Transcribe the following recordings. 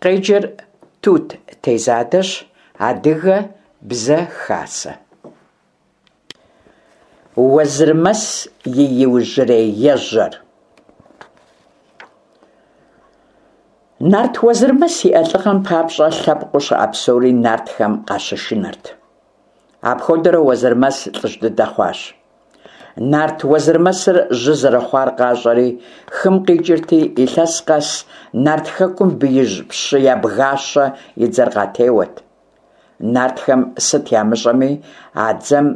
Къеджэр Тут Тезадэщ, Адыгэ Бзэ Хасэ. Уэзырмэс и иужьрей ежьэр. Нарт Уэзырмэс иӏэ лӏыгъэм папщӏэ лъэпкъыу щыӏэ псори нартхэм къащышынэрт. Апхуэдэурэ Уэзырмэс лӏыжь дыдэ хъуащ. Нарт Уэзырмэсыр жьы зэрыхъуар къащӏэри, хым къикӏырти, илъэс къэс нарт хэкум биижь пщы Ябгащэ и дзэр къатеуэт. Нартхэм сыт ямыщӏэми, а дзэм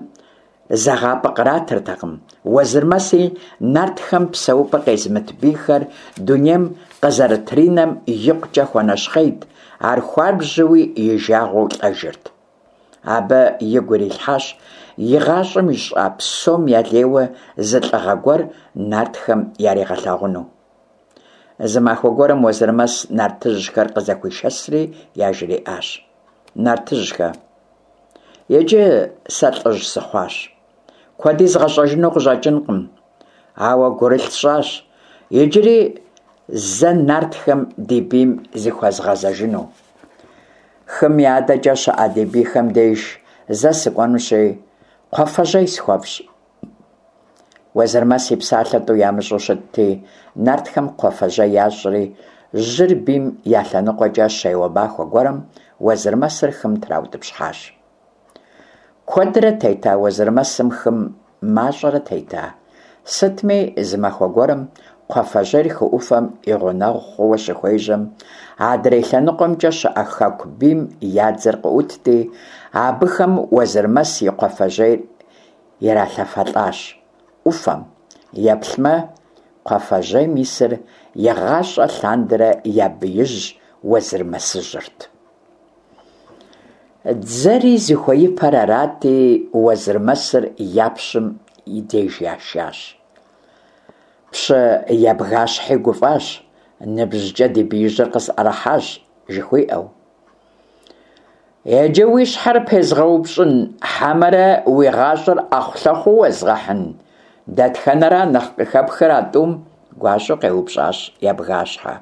зэгъапӏэ къратыртэкъым. Уэзырмэси нартхэм псэупӏэ къезымыт бийхэр дунейм къызэрытринэм икъукӏэ хуэнэщхъейт, ар хуабжьуи и жагъуэу лӏэжырт. Абы игу ирилъхьащ игъащӏэм ищӏа псом ялейуэ зы лӏыгъэ гуэр нартхэм яригъэлъагъуну. Зы махуэ гуэрым Уэзырмэс нартыжьхэр къызэхуишэсри яжриӏащ: Нартыжьхэ, иджы сэ лӏыжь сыхъуащ. Куэди згъэщӏэжыну къыщӏэкӏынкъым, ауэ гурылъ сщӏащ иджыри зэ нартхэм ди бийм зыхуэзгъэзэжыну. Хым и адэкӏэ щыӏэ ди бийхэм деж зэ сыкӏуэнущи, кхъуафэжьей схуэфщӏ. Уэзырмэс и псалъэ тӏу ямыщӏу щытти, нартхэм кхъуафэжьей ящӏри, жьыр бийм я лъэныкъуэкӏэ щеуэ махуэ гуэрым Уэзырмэсыр хым траутӏыпщхьащ. Куэдрэ тета Уэзырмэсым хым, мащӏэрэ тета. Сытми, зы махуэ гуэрым кхъуафэжьейр хы ӏуфэм и гъунэгъу хъууэ щыхуежьэм, адрей лъэныкъуэмкӏэ щыӏэ хэку бийм я дзэр къыӏутти, абыхэм Уэзырмэс и кхъуафэжьейр иралъэфэлӏащ ӏуфэм. Еплъмэ, кхъуафэжьейм исыр игъащӏэ лъандэрэ я биижь Уэзырмэсыжьырт. Дзэри зыхуеипэр арати, Уэзырмэсыр я пщым и деж яшащ. Пщы Ябгащхьи гуфӏащ, ныбжькӏэ ди биижьыр къысӏэрыхьащ, жыхуиӏэу. Иджы уи щхьэр пезгъэупщӏын хьэмэрэ уи гъащӏэр ӏэхъулъэхъуу уэзгъэхьын? Дэтхэнэра нэхъ къыхэпхыр а тӏум? гуащӏэу къеупщӏащ Ябгащхьэ.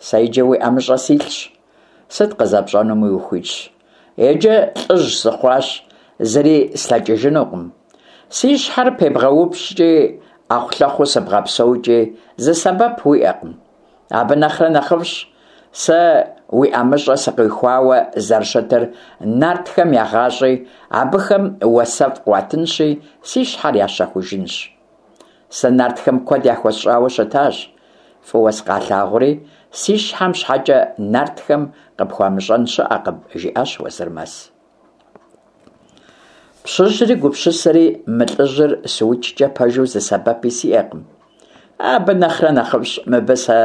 Сэ иджы уи ӏэмыщӏэ силъщ. Сыт къызэпщӏэнуми ухуитщ. Иджы лӏыжь сыхъуащ, зыри слъэкӏыжынукъым. Си щхьэр пебгъэупщӏкӏи, ӏэхъулъэхъуу сыбгъэпсэукӏи зы сэбэп уиӏэкъым. Абы нэхърэ нэхъыфӏщ сэ уи ӏэмыщӏэ сыкъихуауэ зэрыщытыр нартхэм егъащӏи, абыхэм уасэфӏ къуатынщи, си щхьэр ящэхужынщ. Сэ нартхэм куэд яхуэсщӏауэ щытащ, фӏыуэ сыкъалъагъури, си щхьэм щхьэкӏэ нартхэм къыпхуамыщӏэн щыӏэкъым, жиӏащ Уэзырмэс. Пщыжьри гупсысэри, мы лӏыжьыр сыукӏкӏэ пэжу зы сэбэпи сиӏэкъым. Абы нэхърэ нэхъыфӏщ мыбы сэ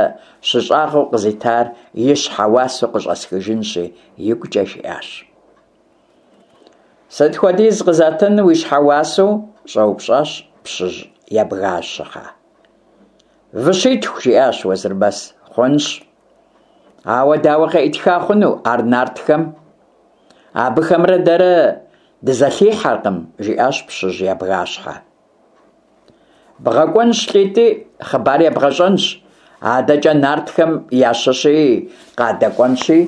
щыщӏагъэу къызитар и щхьэ уасэу къыщӏэсхыжынщи, игукӏэ жиӏащ. Сыт хуэдиз къызатын уи щхьэ уасэу? щӏэупщӏащ пщыжь Ябгащхьэ. Выщитху, жиӏащ Уэзырмэс. Хъунщ. Ауэ дауэ къеӏытха хъуну ар нартхэм? Абыхэмрэ дэрэ дызэлъихьэркъым, жиӏащ пщыжь Ябгащхьэ. Бгъэкӏуэнщ лӏитӏи, хъыбар ебгъэщӏэнщ. Адэкӏэ нартхэм ящыщи къадэкӏуэнщи,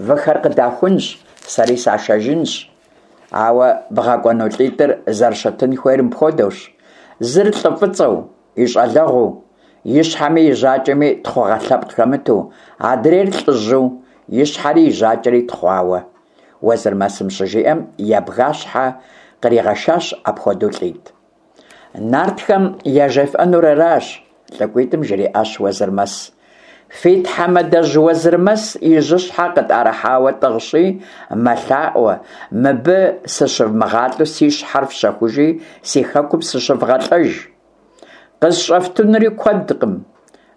выхэр къыдахунщ, сэри сашэжынщ. Ауэ бгъэкӏуэну лӏитӏыр зэрыщытын хуейр мыпхуэдэущ: зыр лӏы фӏыцӏэу, и щӏалэгъуэу, и щхьэми и жьакӏэми тхъугъэ лъэпкъ хэмыту, адрейр лӏыжьу, и щхьэри и жьакӏэри тхъуауэ. Уэзырмэсым щыжиӏэм, Ябгащхьэ къригъэшащ апхуэдэу лӏитӏ. Нартхэм яжефӏэнур аращ, лӏыкӏуитӏым жриӏащ Уэзырмэс. Фи тхьэмадэжь Уэзырмэс и жьыщхьэ къытӏэрыхьауэ тӏыгъщи, мэлъаӏуэ, мыбы сыщывмыгъалӏэу си щхьэр фщэхужи, си хэкум сыщывгъэлӏэж. Къысщӏэфтынури куэдкъым,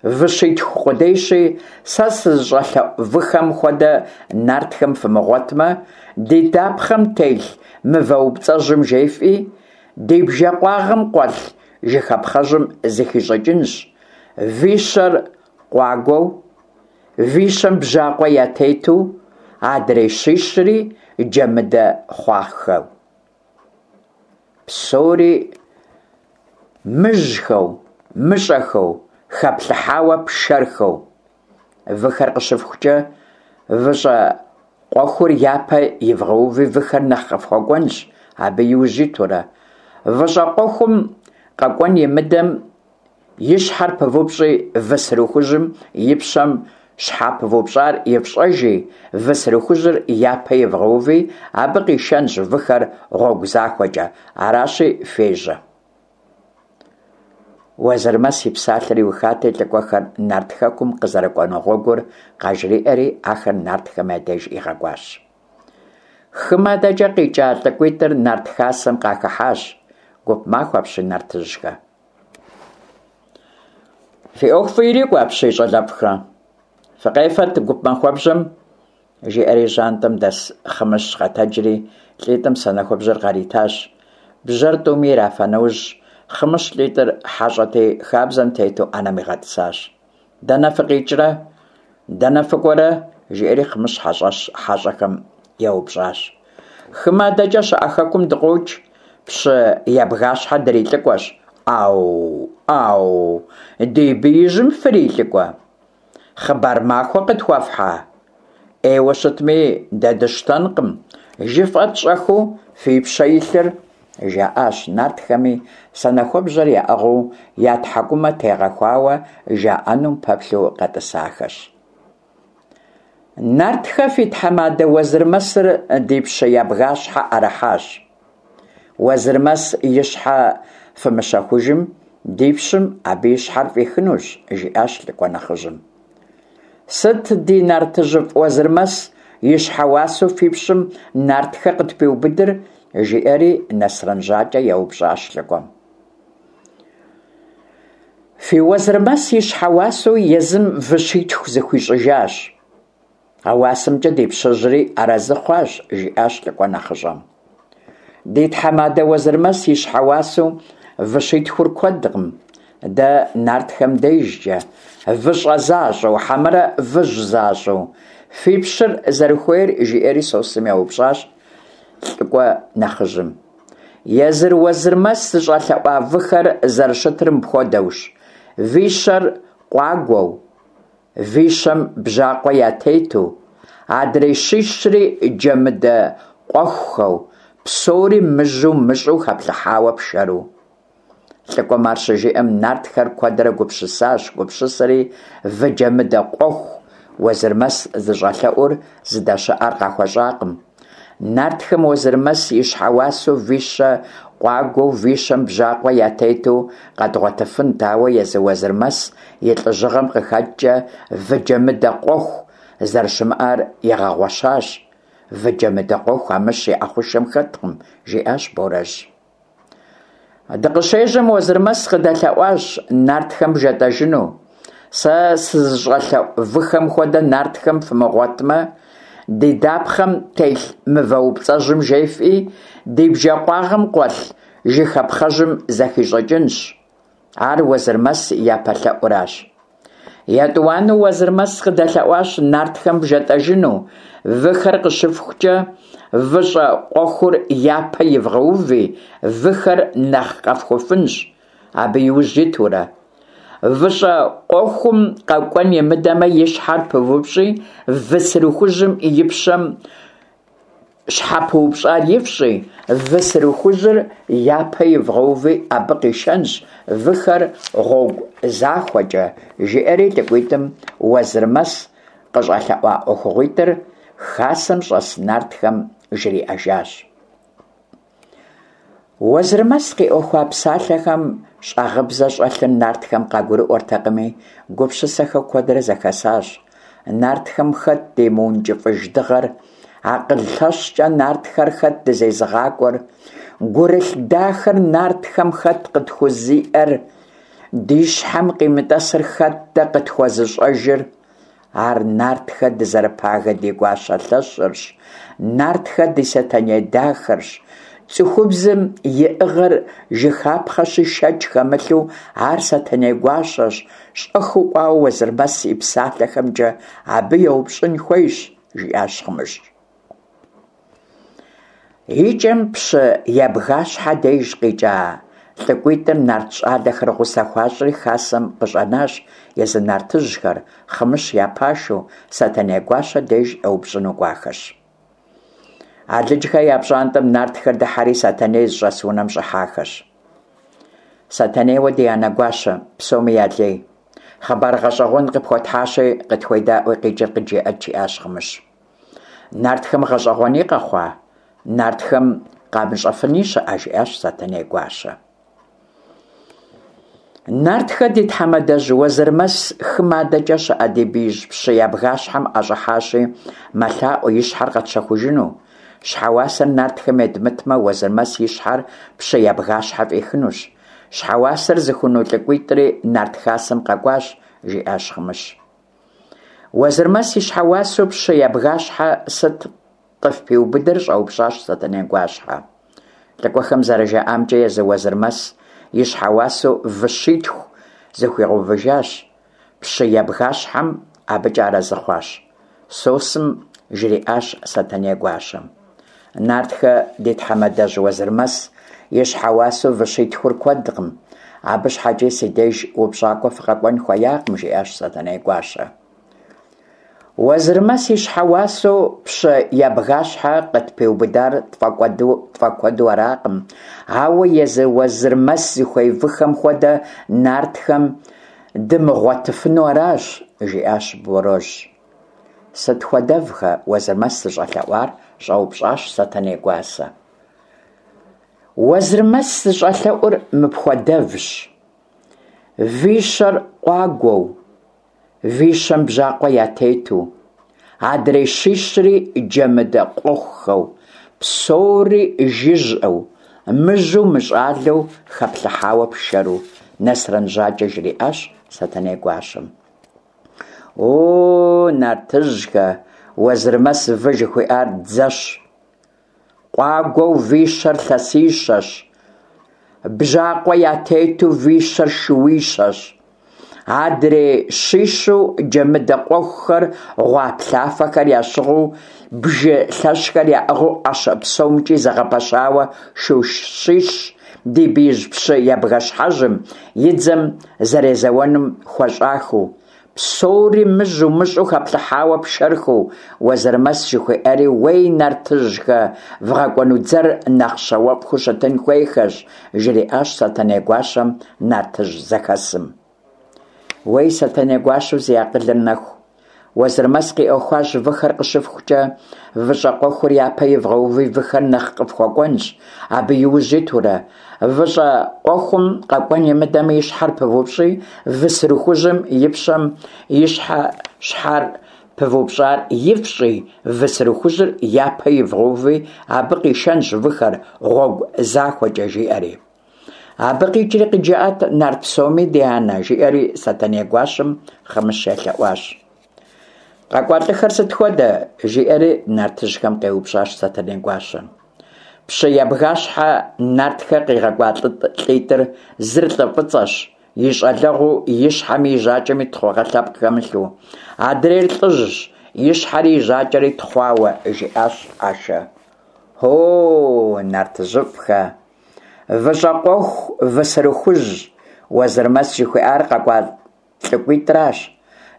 выщитху къудейщи, сэ сызыщӏэлъэӏу выхэм хуэдэ нартхэм фымыгъуэтмэ, ди дапхъэм телъ мывэупцӏэжьым жефӏи, ди бжэкъуагъым къуэлъ жыхапхъэжьым зыхищӏыкӏынщ, вищэр къуагуэу, вищэм бжьакъуэ ятету, адрей щищри джэмыдэ хъуахэу. Псори мыжьхэу, мыщӏэхэу, хэплъыхьауэ пшэрхэу. Выхэр къыщыфхукӏэ, Выщӏэ къуэхур япэ ивгъэуви выхэр нэхъ къыфхуэкӏуэнщ, абы иужь итурэ. Выщӏэ къуэхум къэкӏуэн имыдэм и щхьэр пывупщӏи, вы сырыхужьым и пщэм щхьэ пывупщӏар ифщӏэжи, вы сырыхужьыр япэ ивгъэуви, абы къишэнщ выхэр гъуэгу захуэкӏэ. Аращи, фежьэ. Уэзырмэс и псалъэр иухати, лӏыкӏуэхэр Нарт Хэкум къызэрыкӏуэну гъуэгур къажриӏэри, ахэр нартхэм я деж игъэкӏуащ. Хым адэкӏэ къикӏа лӏыкӏуитӏыр Нарт Хасэм къахыхьащ. Гуп махуэ апщий, нартыжьхэ! Фи ӏуэху фӏы ирикӏуэ апщий, щӏалэфӏхэ! Фыкъефэт гуп махуэбжьэм! Жиӏэри жьантӏэм дэс Хъымыщ къэтэджри, лӏитӏым санэхубжьэр къаритащ. Бжьэр тӏуми ирафа нэужь, Хъымыщ лӏитӏыр хьэщӏэти, хабзэм тету ӏэнэм игъэтӏысащ. Дэнэ фыкъикӏрэ? Дэнэ фыкӏуэрэ? жиӏэри Хъымыщ хьэщӏэщ хьэщӏэхэм еупщӏащ. Хым адэкӏэ щыӏэ хэкум дыкъокӏ, пщы Ябгащхьэ дрилӏыкӏуэщ. ӏау, ӏау, ди биижьым фрилӏыкӏуэ? Хъыбар махуэ къытхуэфхьа? ӏейуэ щытми, дэ дыщтэнкъым. Жыфӏэт щӏэхыу фи пщэ илъыр, жаӏащ нартхэми, санэхуэбжьэр яӏыгъыу, я тхьэкӏумэ тегъэхуауэ жаӏэнум пэплъэу къэтӏысахэщ. Нартхэ фи тхьэмадэ Уэзырмэсыр ди пщы Ябгащхьэ ӏэрыхьащ. Уэзырмэс и щхьэ фымыщэхужым, ди пщым абы и щхьэр фӏихынущ, жиӏащ лӏыкӏуэ нэхъыжьым. Сыт ди нартыжьыфӏ Уэзырмэс и щхьэ уасэу фи пщым нартхэ къытпиубыдыр? жиӏэри Нэсрэн Жьакӏэ еупщӏащ лӏыкӏуэм. Фи Уэзырмэс и щхьэ уасэу езым вы щитху зыхуищӏыжащ. А уасэмкӏэ ди пщыжьри арэзы хъуащ, жиӏащ лӏыкӏуэ нэхъыщӏэм. Ди тхьэмадэ Уэзырмэс и щхьэ уасэу вы щитхур куэдкъым. Дэ нартхэм дежкӏэ выщӏэ защӏэу, хьэмэрэ выжь защӏэу, фи пщыр зэрыхуейр, жиӏэри Сосым еупщӏащ лӏыкӏуэ нэхъыжьым. Езыр Уэзырмэс зыщӏэлъэӏуа выхэр зэрыщытыр мыпхуэдэущ: вищэр къуагуэу, Вищэм бжьакъуэ ятету, адрей щищри джэмыдэ къуэхухэу, псори мыжьу мыщӏу хэплъыхьауэ пшэру. Лӏыкӏуэм ар щыжиӏэм, нартхэр куэдрэ гупсысащ, гупсысэри вы джэмыдэ къуэху Уэзырмэс зыщӏэлъэӏур зыдэщыӏэр къахуэщӏакъым. Нартхэм Уэзырмэс и щхьэ уасэу вищэ къуагуэу вищэм бжьакъуэ ятету къэдгъуэтыфынт, ауэ езы Уэзырмэс и лӏыжьыгъэм къыхэкӏкӏэ вы джэмыдэ къуэху зэрыщымыӏэр игъэгъуэщащ. Вы джэмыдэ къуэху Амыщ и ӏэхъушэм хэткъым, жиӏащ Борэжь. Дыкъыщежьэм Уэзырмэс къыдэлъэӏуащ нартхэм вжетӏэжыну. Сэ сызыщӏэлъэӏу выхэм хуэдэ нартхэм фымыгъуэтмэ, ди дапхъэм телъ мывэупцӏэжьым жефӏи, ди бжэкъуагъым къуэлъ жыхапхъэжьым зэхищӏыкӏынщ. Ар Уэзырмэс и япэ лъэӏуращ. Етӏуанэу Уэзырмэс къыдэлъэӏуащ нартхэм вжетӏэжыну, выхэр къыщыфхукӏэ, выщӏэ къуэхур япэ ивгъэуви, выхэр нэхъ къэфхуфынщ, абы иужь итурэ. Выщӏэ къуэхум къэкӏуэн имыдэмэ, и щхьэр пывупщӏи, вы сырыхужьым и пщэм Щхьэ пыупщӏар ифщӏи, вы сырыхужьыр япэ ивгъэуви, абы къишэнщ выхэр гъуэгу захуэкӏэ, жиӏэри лӏыкӏуитӏым Уэзырмэс къыщӏэлъэӏуа ӏуэхугъуитӏыр хасэм щӏэс нартхэм жриӏэжащ. Уэзырмэс къиӏуэхуа псалъэхэм щӏагъыбзэ щӏэлъыр нартхэм къагурыӏуэртэкъыми, гупсысэхэу куэдрэ зэхэсащ. Нартхэм хэт ди мыункӏыфӏыж дыгъэр, акъыл лъэщкӏэ нартхэр хэт дызезыгъакӏуэр, гурылъ дахэр нартхэм хэт къытхузиӏэр, ди щхьэм къимытӏэсыр хэт дэ къытхуэзыщӏэжыр? Ар нартхэ дызэрыпагэ ди гуащэ лъэщырщ, нартхэ ди Сэтэней дахэрщ. Цӏыхубзым иӏыгъыр жыхапхъэщи, шэч хэмылъу, ар Сэтэней гуащэщ, щӏэхыу кӏуауэ Уэзырмэс и псалъэхэмкӏэ абы еупщӏын хуейщ, жиӏащ Хъымыщ. Икӏэм пщы Ябгащхьэ деж къикӏа Лӏыкӏуитӏыр нарт щӏалэхэр гъусэ хуащӏри хасэм къыщӏэнащ, езы нартыжьхэр, Хъымыщ я пашэу, Сэтэней гуащэ деж еупщӏыну кӏуахэщ. Алыджхэ я пщӏантӏэм нартхэр дыхьэри Сэтэней зыщӏэс унэм щӏыхьахэщ. Сэтэнейуэ ди анэ гуащэ, псоми я лей. Хъыбар гъэщӏэгъуэн къыпхуэтхьащи, къытхуедаӏуи къикӏыр къыджеӏэт, жиӏащ Хъымыщ. Нартхэм гъэщӏэгъуэни къэхъуа? Нартхэм къамыщӏэфыни щыӏэ? жиӏащ Сэтэней гуащэ. Нартхэ ди тхьэмадэжь Уэзырмэс хым адэкӏэ щыӏэ ди биижь пщы ябгащхьэм ӏэщӏыхьащи, мэлъаӏуэ и щхьэр къэтщэхужыну. Щхьэуасэр нартхэм едмытмэ, Уэзырмэс и щхьэр пщы ябгащхьэ фӏихынущ. Щхьэуасэр зыхуну лӏыкӏуитӏри нарт хасэм къэкӏуащ, жиӏащ Хъымыщ. Уэзырмэс и щхьэуасэу пщы ябгащхьэ сыт къыфпиубыдыр? щӏэупщӏащ Сэтэней гуащхьэ. Лӏыкӏуэхэм зэрыжаӏамкӏэ, езы Уэзырмэс и щхьэуасэу вы щитху зыхуигъэувыжащ, пщы ябгащхьэм абыкӏэ арэзы хъуащ. Сосым жриӏащ Сэтэней гуащэм. Нартхэ ди тхьэмадэжь Уэзырмэс и щхьэуасэу вы щитхур куэдкъым, абы щхьэкӏи си деж упщӏакӏуэ фыкъэкӏуэн хуеякъым, жиӏащ Сэтэней гуащэ. Уэзырмэс и щхьэуасэу пщы ябгащхьэ къытпиубыдар тфӏэкуэду аракъым, ауэ езы Уэзырмэс зыхуей выхэм хуэдэ нартхэм дымыгъуэтыфыну аращ, жиӏащ Борожь. Сыт хуэдэвхэ Уэзырмэс зыщӏэлъэӏуар? щӏэупщӏащ Сэтэней гуасэ. Уэзырмэс зыщӏэлъэӏур мыпхуэдэвщ: вищэр къуагуэу, вищэм бжьакъуэ ятету, адрей щищри джэмыдэ къуэхухэу, псори жыжьэу, мыжьу мыщӏалэу хэплъыхьауэ пшэру, Нэсрэн Жьакӏэ жриӏащ Сэтэней гуащэм. О, нартыжьхэ, Уэзырмэс вы жыхуиӏар дзэщ. Къуагуэу вищэр лъэсищэщ, бжьакъуэ ятету вищэр шууищэщ. Адрей щищу джэмыдэ къуэхухэр гъуаплъафэхэр ящыгъыу, бжы лъэщхэр яӏыгъыу ӏэщэ псомкӏи зэгъэпэщауэ шу щищ ди биижь пщы ябгэщхьэжьым и дзэм зэрезэуэнум хуэщӏахэу, псори мыжьу мыщӏу хэплъыхьауэ пшэрхэу, Уэзырмэс жыхуиӏэри, уей нартыжьхэ, вгъэкӏуэну дзэр нэхъ щауэфӏхэу щытын хуейхэщ, жриӏащ Сэтэней гуащэм нартыжь зэхэсым. Уей Сэтэней гуащэу зи акъылыр нэху, Уэзырмэс къиӏуэхуащ выхэр къыщыфхукӏэ, выщӏэ къуэхур япэ ивгъэуви выхэр нэхъ къыфхуэкӏуэнщ, абы иужь итурэ. Выщӏэ къуэхум къэкӏуэн имыдэмэ и щхьэр пывупщӏи, вы сырыхужьым и пщэм и щхьэ щхьэр пывупщӏар ифщӏи, вы сырыхужьыр япэ ивгъэуви, абы къишэнщ выхэр гъуэгу захуэкӏэ, жиӏэри. Абы къикӏри къыджыӏэт нарт псоми, ди анэ, жиӏэри Сэтэней гуащэм Хъымыщ елъэӏуащ. Къэкӏуа лӏыхэр сыт хуэдэ? жиӏэри нартыжьхэм къеупщӏащ Сэтэней гуащэ. Пщы ябгащхьэ нартхэ къигъэкӏуа лӏитӏыр зыр лӏы фӏыцӏэщ, и щӏалэгъуэу и щхьэми и жьакӏэми тхъугъэ лъэпкъ хэмылъу. Адрейр лӏыжьщ, и щхьэри и жьакӏэри тхъуауэ, жиӏащ Ашэ. О, нартыжьыфӏхэ! Выщӏэ къуэху, вы сырыхужь, Уэзырмэс жыхуиӏар къэкӏуа лӏыкӏуитӏращ.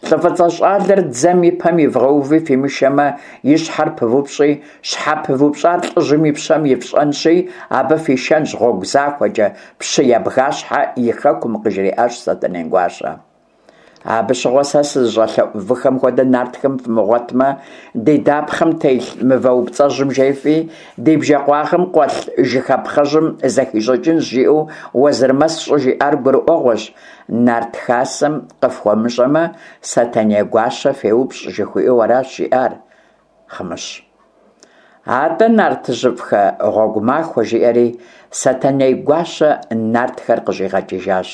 Лӏы фӏыцӏэ щӏалэр дзэм и пэм ивгъэуви фимышэмэ, и щхьэр пывупщӏи, щхьэ пывупщӏар лӏыжьым и пщэм ифщӏэнщи, абы фишэнщ гъуэгу захуэкӏэ пщы ябгащхьэ и хэкум, къыжриӏащ Сэтэней гуащэ. Абы щыгъуэ сэ сызыщӏэлъэӏу выхэм хуэдэ нартхэм фымыгъуэтмэ, ди дапхъэм телъ мывэупцӏэжьым жефӏи, ди бжэкъуагъым къуэлъ жыхапхъэжьым зэхищӏыкӏынщ, жиӏэу Уэзырмэс щӏыжиӏар гурыӏуэгъуэщ, нарт хасэм къыфхуэмыщӏэмэ, Сэтэней гуащэ феупщӏ, жыхуиӏэу аращ жиӏар Хъымыщ. Атӏэ, нартыжьыфӏхэ, гъуэгу махуэ, жиӏэри Сэтэней гуащэ нартхэр къыщӏигъэкӏыжащ.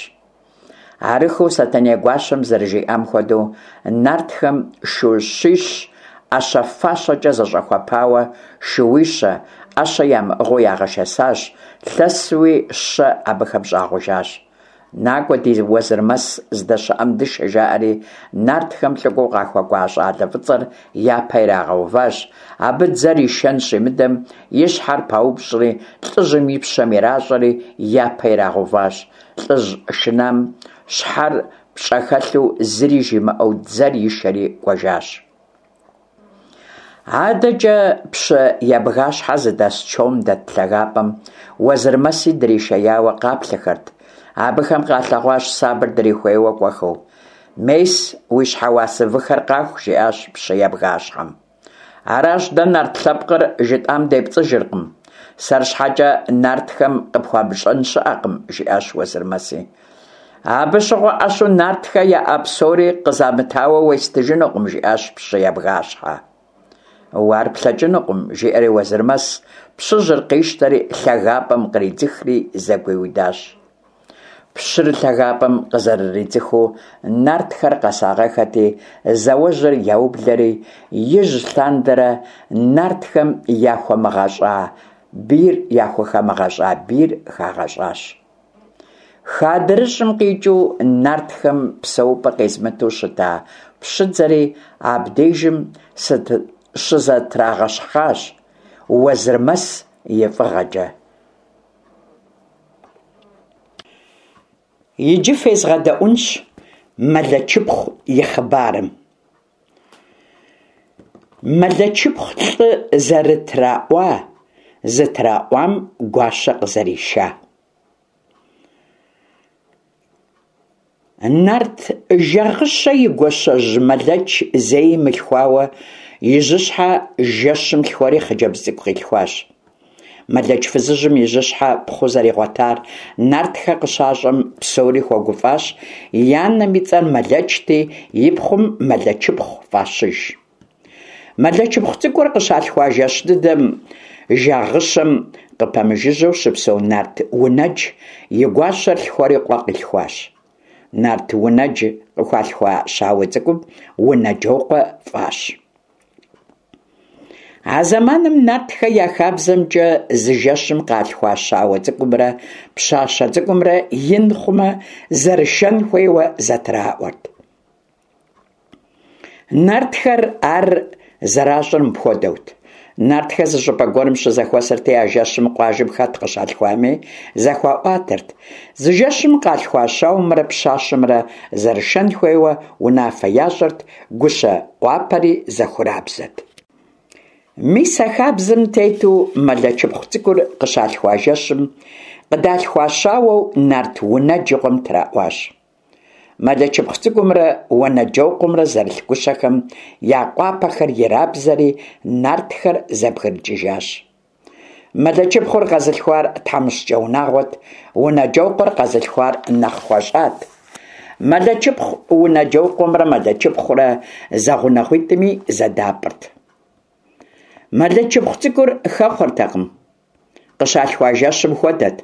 Арыххэу Сэтэней гуащэм зэрыжиӏам хуэдэу, нартхэм шу щищ ӏэщэ-фащэкӏэ зэщӏэхуэпауэ шууищэ, ӏэщэ ямыӏыгъыу ягъэшэсащ, лъэсуи щэ абыхэм щӏагъужащ. Накӏуэ, ди Уэзырмэс здэщыӏэм дышэ, жаӏэри, нартхэм лӏыкӏуэу къахуэкӏуа щӏалэ фӏыцӏэр япэ ирагъэуващ. Абы дзэр ишэн щимыдэм, и щхьэр паупщӏри, лӏыжьым и пщэм иращӏэри, япэ ирагъэуващ. Лӏыжь шынам щхьэр пщӏэхэлъу зыри жимыӏэу дзэр ишэри кӏуэжащ. Адэкӏэ пщы Ябгащхьэ зыдэс чом дэт лъагапӏэм Уэзырмэси дришеяуэ къаплъэхэрт. Абыхэм къалъэгъуащ сабэр дрихуейуэ кӏуэхэу. Мес, уи щхьэуасэ выхэр къаху, жиӏащ пщы Ябгащхьэм. Аращ, дэ нарт лъэпкъыр жытӏам депцӏыжыркъым. Сэр щхьэкӏэ нартхэм къыпхуамыщӏэн щыӏэкъым, жиӏащ Уэзырмэси. Абы щыгъуэ ӏэщу нартхэ яӏэ псори къызамытауэ уестыжынукъым, жиӏащ пщы Ябгащхьэ. Уэ ар плъэкӏынукъым, жиӏэри Уэзырмэс пщыжьыр къищтэри лъагапӏэм къридзыхри зэгуиудащ. Пщыр лъагапӏэм къызэрыридзыхыу нартхэр къэсагъэхэти, зауэжьыр яублэри, ижь лъандэрэ нартхэм яхуэмыгъэщӏа бийр яхухэмыгъэщӏа бийр хагъэщӏащ. Хы адрыщӏым къикӏыу нартхэм псэупӏэ къезымыту щыта пщыдзэри абдежым щызэтрагъэщхъащ Уэзырмэс и фӏыгъэкӏэ. Иджы фезгъэдэӏунщ Мэлэчыпхъу и хъыбарым. Мэлэчыпхъу лӏы зэрытраӏуа, зытраӏуам гуащэ къызэриша. Нарт Жагъыщэ и гуащэжь Мэлэч зэи мылъхуауэ и жьыщхьэ жэщым лъхуэри хъыджэбз цӏыкӏу къилъхуащ. Мэлэч фызыжьым и жьыщхьэ пхъу зэригъуэтар нартхэ къыщащӏэм псори хуэгуфӏащ, и анэм и цӏэр Мэлэчти, и пхъум Мэлэчыпхъу фӏащыж. Мэлэчыпхъу цӏыкӏур къыщалъхуа жэщ дыдэм Жагъыщэм къыпэмыжыжьэу щыпсэу нарт Унэдж и гуащэр лъхуэри къуэ къилъхуащ. Нарт Унэдж къыхуалъхуа щауэ цӏыкӏум Унэджокъуэ фӏащ. А зэманым нартхэ я хабзэмкӏэ зы жэщым къалъхуа щауэ цӏыкӏумрэ пщащэ цӏыкӏумрэ ин хъумэ, зэрышэн хуейуэ зэтраӏуэрт. Нартхэр ар зэращӏыр мыпхуэдэут. Нартхэр зы щӏыпӏэ гуэрым щызэхуэсырти, а жэщым къуажэм хэт къыщалъхуами зэхуаӏуатэрт. Зы жэщым къалъхуа щауэмрэ пщащэмрэ зэрышэн хуейуэ унафэ ящӏырт, гущэ къуапэри зэхурабзэт. Мис а хабзэм тету Мэлэчыпхъу цӏыкӏур къыщалъхуа жэщым къыдалъхуа щауэу нарт Унэдж и къуэм траӏуащ. Мэлэчыпхъу цӏыкӏумрэ Уэнэджокъуэмрэ зэрылъ гущэхэм я къуапэхэр ирабзэри, нартхэр зэбгрыкӏыжащ. Мэлэчыпхъур къэзылъхуар тхьэмыщкӏэ унагъуэт, Унэджокъуэр къэзылъхуар нэхъ хуэщӏат. Мэлэчыпхъу Унэджокъуэмрэ Мэлэчыпхъурэ зэгъунэгъуитӏми зэдапӏырт. Мэлэчыпхъу цӏыкӏур хэхъуэртэкъым. Къыщалъхуа жэщым хуэдэт,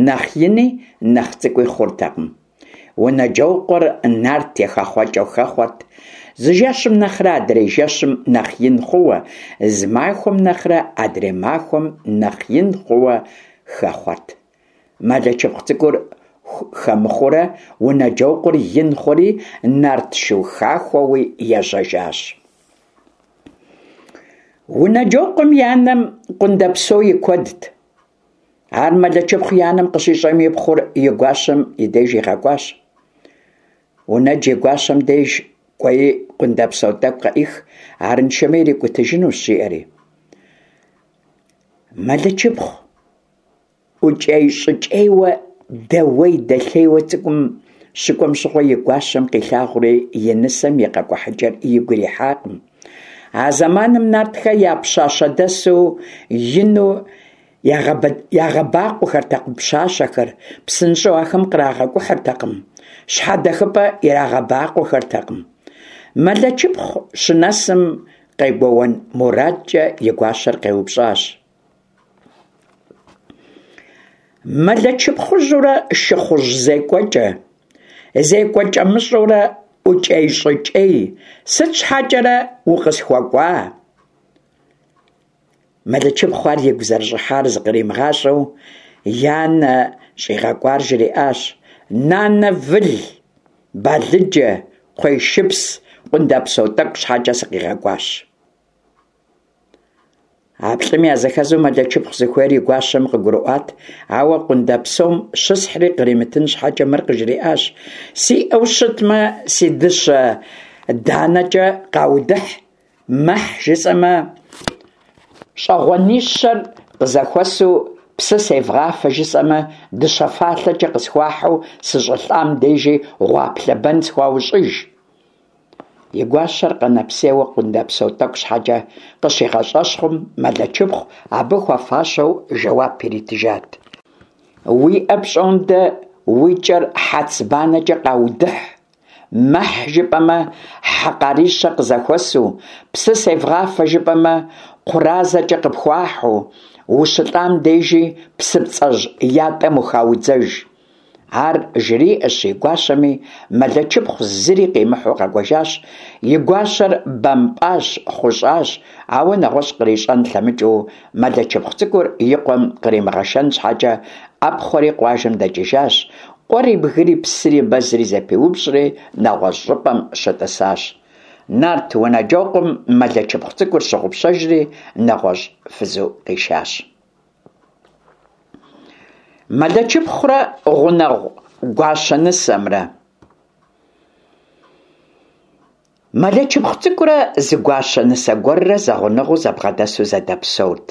нэхъ ини нэхъ цӏыкӏуи хъуртэкъым. Унэджокъуэр нарт и хэхъуэкӏэу хэхъуэрт, зы жэщым нэхърэ адрей жэщым нэхъ ин хъууэ, зы махуэм нэхърэ адрей махуэм нэхъ ин хъууэ хэхъуэрт. Мэлэчыпхъу цӏыкӏур хэмыхъуурэ Унэджокъуэр ин хъури, нарт шу хахуэуи ежьэжащ. Унэджокъуэм и анэм къундэпсо и куэдт. Ар Мэлэчыпхъу и анэм къыщищӏэм и пхъур и гуащэм и деж игъэкӏуащ. Унэдж и гуащэм деж кӏуэи къундэпсо тӏэкӏу къыӏих, арыншэмэ ирикӏутыжынущ, жиӏэри. Мэлэчыпхъу ӏукӏей-щӏыкӏейуэ, дэуей-дэлъейуэ цӏыкӏум щыкӏуэм щыгъуэ и гуащэм къилъагъури и нысэм и къэкӏухьыкӏэр игу ирихьакъым. А зэманым нартхэ я пщащэдэсу ину ягъэбакъуэхэртэкъым пщащэхэр, псынщӏэу ахэм кърагъэкӏухьыртэкъым, щхьэдэхыпӏэ ирагъэбакъуэхэртэкъым. Мэлэчыпхъу щынэсым къегуэуэн мурадкӏэ и гуащэр къеупщӏащ. Мэлэчыпхъужьурэ шыхъужь зекӏуэкӏэ, зекӏуэкӏэмыщӏэурэ ӏукӏей-щӏыкӏей, сыт щхьэкӏэрэ укъысхуэкӏуа? Мэлэчыпхъу ар игу зэрыщӏыхьар зыкъримыгъащӏэу и анэ щӏигъэкӏуар жриӏащ. Нанэ выл, балыджэ, кхъуей шыпс, къундэпсо тӏэкӏу щхьэкӏэ сыкъигъэкӏуащ. А плӏым языхэзу Мэлэчыпхъу зыхуейр и гуащэм къыгурыӏуат, ауэ къундэпсом щысхьри къримытын щхьэкӏэ мыр къыжриӏащ: Сиӏэу щытмэ, си дыщэ данэкӏэ къаудыхь, мэхь жысӏэмэ, щӏэгъуэнищэр къызэхуэсу псы севгъафэ жысӏэмэ, дыщэ фалъэкӏэ къысхуахьу сыщӏэлӏам дежи гъуаплъэ бэн схуаущӏыж. И гуащэр къэнэпсейуэ къундэпсо тӏэкӏу щхьэкӏэ къыщигъэщӏэщхъум, Мэлэчыпхъу абы хуэфащэу жэуап иритыжат. Уиӏэ пщӏондэ уи кӏэр хьэцыбанэкӏэ къаудыхь, мэхь жыпӏэмэ, хьэ къарищэ къызэхуэсу, псы севгъафэ жыпӏэмэ, кхъуразэкӏэ къыпхуахьу, ущылӏам дежи псыпцӏэжь ятӏэм ухаудзэж. Ар жриӏэщ и гуащэми, Мэлэчыпхъу зыри къимыхьу къэкӏуэжащ, и гуащэр бэмпӏащ, хъущӏащ, ауэ нэгъуэщӏ кърищӏэн лъэмыкӏыу, Мэлэчыпхъу цӏыкӏур и къуэм къримыгъэшэн щхьэкӏэ, ӏэпхъуэри къуажэм дэкӏыжащ, къуэри бгыри псыри мэзри зэпиупщӏри нэгъуэщӏ щӏыпӏэм щытӏысащ. Нарт Унэджокъуэм Мэлэчыпхъу цӏыкӏур щыгъупщэжри нэгъуэщӏ фызу къишащ. Мэлэчыпхъурэ гъунэгъу гуащэ нысэмрэ. Мэлэчыпхъу цӏыкӏурэ зы гуащэ нысэ гуэррэ зэгъунэгъуу зэбгъэдэсу зэдэпсэурт.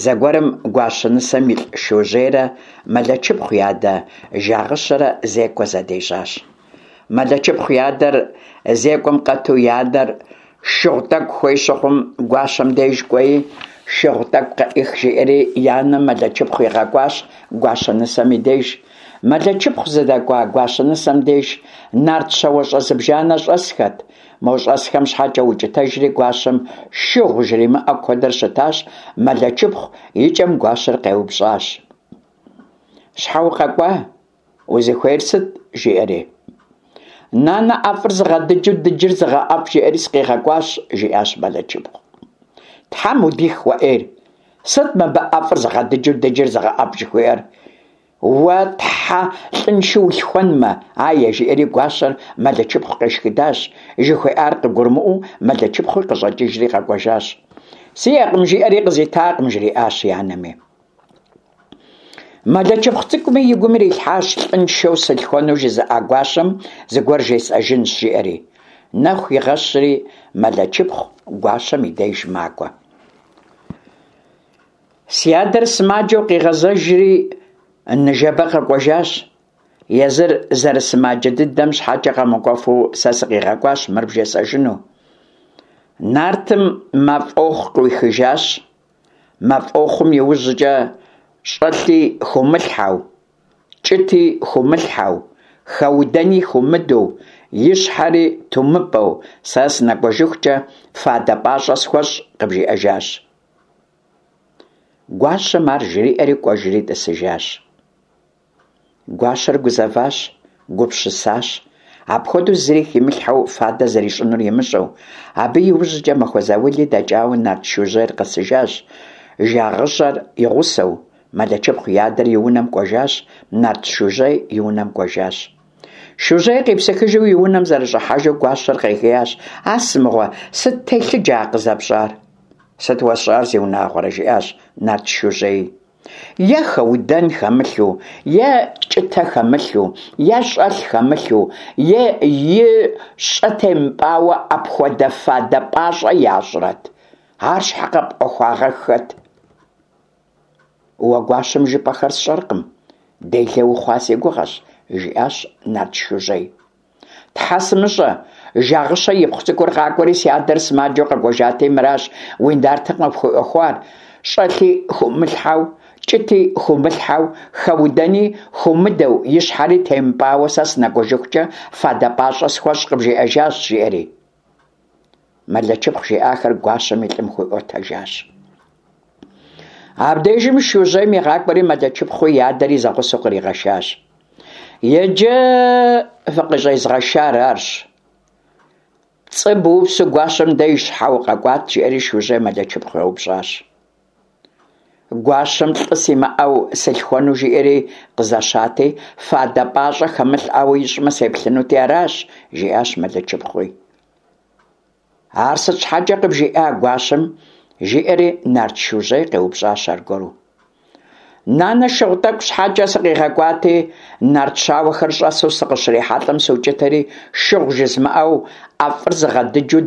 Зэгуэрым гуащэ нысэм илӏ Шужьейрэ Мэлэчыпхъу и адэ Жагъыщэрэ зекӏуэ зэдежьащ. Мэлэчыпхъу и адэр зекӏуэм къэту и анэр шыгъу тӏэкӏу хуей щыхъум, гуащэм деж кӏуэи, шыгъу тӏэкӏу къыӏых, жиӏэри и анэм Мэлэчыпхъу игъэкӏуащ гуащэ нысэм и деж. Мэлэчыпхъу зыдэкӏуа гуащэ нысэм деж нарт щауэщӏэ зыбжанэ щӏэсхэт. Мо щӏэсхэм щхьэкӏэ укӏытэжри гуащэм шыгъу жримыӏэу куэдрэ щытащ Мэлэчыпхъу, икӏэм гуащэр къеупщӏащ. Щхьэ укъэкӏуа? Узыхуейр сыт? жиӏэри. Нанэ ӏэфӏыр зыгъэдыджу дыджыр зыгъэӏэфӏ жиӏэри сыкъигъэкӏуащ, жиӏащ Мэлэчыпхъу. Тхьэм удих уэ ӏейр! Сыт мыбы ӏэфӏыр зыгъэдыджу дыджыр зыгъэӏэфӏ жыхуиӏэр? Уэ тхьэ лӏыншэу улъхуэнмэ, ае, жиӏэри гуащэр Мэлэчыпхъу къешхыдащ, жыхуиӏар къыгурымыӏуэу Мэлэчыпхъуи къыщӏэкӏыжри къэкӏуэжащ. Сиӏэкъым жиӏэри къызитакъым, жриӏащ и анэми. Мэлэчыпхъу цӏыкӏуми и гум ирилъхьащ лӏыншэу сылъхуэну жызыӏа гуащэм зыгуэр жесӏэжынщ, жиӏэри. Нэху игъэщри, Мэлэчыпхъу гуащэм и деж макӏуэ. Си адэр сымаджэу къигъэзэжри, ныжэбэ къэкӏуэжащ. Езыр зэрысымаджэ дыдэм щхьэкӏэ къэмыкӏуэфу сэ сыкъигъэкӏуащ мыр бжесӏэжыну. Нартым мафӏохъу къыуихыжащ. Мафӏохъум и ужькӏэ щӏэлъи хыумылъхьэу, кӏыти хыумылъхьэу, хэудэни хыумыдэу, и щхьэри тумыпӏэу, сэ сынэкӏуэжыхукӏэ фадэ пӏащӏэ схуэщӏ, къыбжиӏэжащ. Гуащэм ар жриӏэри кӏуэжри тӏысыжащ. Гуащэр гузэващ, гупсысащ, апхуэдэу зыри химылъхьэу фадэ зэрищӏынур имыщӏэу. Абы и ужькӏэ махуэ заули дэкӏауэ нарт Шужьейр къэсыжащ, жагъыщӏэр и гъусэу. Мэлэчыпхъу и адэр и унэм кӏуэжащ, нарт Шужьей и унэм кӏуэжащ. Шужьей къепсыхыжу и унэм зэрыщӏыхьэжу гуащэр къегиящ: А сымыгъуэ, сыт телъыджэ а къызэпщӏар? Сыт уэсщӏар, зиунагъуэрэ, жиӏащ нарт Шужьей. Е хэудэн хэмылъу, е кӏытэ хэмылъу, е щӏэлъ хэмылъу, е и щӏэ темыпӏауэ апхуэдэ фадэ пӏащӏэ ящӏрэт? Ар щхьэ къэпӏуэхуагъэххэт? Уэ гуащэм жыпӏэхэр сщӏэркъым, делэ ухъуа си гугъэщ, жиӏащ нарт Шужьей. Тхьэ сымыщӏэ, Жагъыщэ ипхъу цӏыкӏур къакӏуэри си адэр сымаджэу къэкӏуэжати, мыращ уи нартым къыпхуиӏуэхуар. Щӏэлъи хыумылъхьэу, кӏыти хыумылъхьэу, хэудэни хыумыдэу, и щхьэри темыпӏауэ сэ сынэкӏуэжыхукӏэ фадэ пӏащӏэ схуэщӏ къыбжиӏэжащ, жиӏэри. Мэлэчыпхъу жиӏахэр гуащэм и лӏым хуиӏуэтэжащ. Абдежым Шужьейм игъакӏуэри Мэлэчыпхъуи и адэри зэгъусэу къригъэшащ. Иджы фыкъыщӏезгъэшар арщ. Пцӏы быупсу гуащэм деж щхьэ укъэкӏуат, жиӏэри Шужьей Мэлэчыпхъу еупщӏащ. Гуащэм лӏы симыӏэу сылъхуэну жиӏэри къызэщати, фадэ пӏащӏэ хэмылъӏауэ ищӏмэ сеплъынути аращ, жиӏащ Мэлычыпхъуи. Ар сыт щхьэкӏэ къыбжиӏа гуащэм? жиӏэри нарт Шужьей къеупщӏащ аргуэру. Нанэ шыгъу тӏэкӏу щхьэкӏэ сыкъигъэкӏуати, нарт щауэхэр щӏэсу сыкъыщрихьэлӏэм сукӏытэри, шыгъу жызмыӏэу, ӏэфӏыр зыгъэдыджу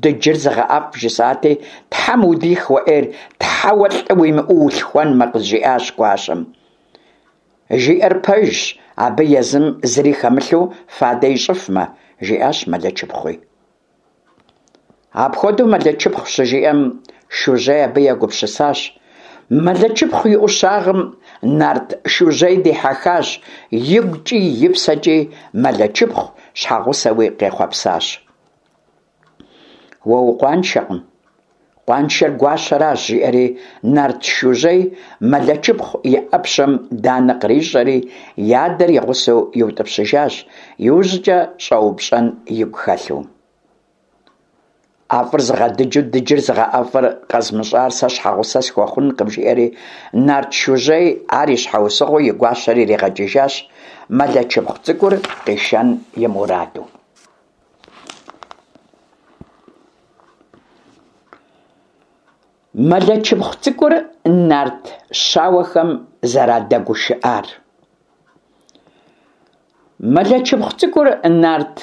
дыджыр зыгъэӏэфӏ жысӏати, Тхьэм удих уэ ӏейр, Тхьэуэ лӏы уимыӏэу улъхуэнмэ, къызжиӏащ гуащэм. Жиӏэр пэжщ, абы езым зыри хэмылъу фадэ ищӏыфмэ, жиӏащ Мэлычыпхъуи. Апхуэдэу Мэлычыпхъу щыжиӏэм, Шужьей абы егупсысащ. Мэлычыпхъу и ӏущагъым нарт Шужьей дихьэхащ, игукӏи и псэкӏи Мэлычыпхъу щхьэгъусэуи къехъуэпсащ. Уэ укъуаншэкъым, къуаншэр гуащэращ, жиӏэри нарт Шужьей Мэлычыпхъу и ӏэпщэм данэ кърищӏэри, и адэр и гъусэу иутӏыпщыжащ, иужькӏэ щӏэупщӏэн игу хэлъу. ӏэфӏыр зыгъэдыджу дыджыр зыгъэӏэфӏыр къэзмыщӏар сэ щхьэгъусэ схуэхъункъым, жиӏэри нарт Шужьей ар и щхьэусыгъуэу и гуащэр иригъэкӏыжащ, Мэлычыпхъу цӏыкӏур къишэн и мураду. Мэлычыпхъу цӏыкӏур нарт щауэхэм зэрадэгушыӏар. Мэлычыпхъу цӏыкӏур нарт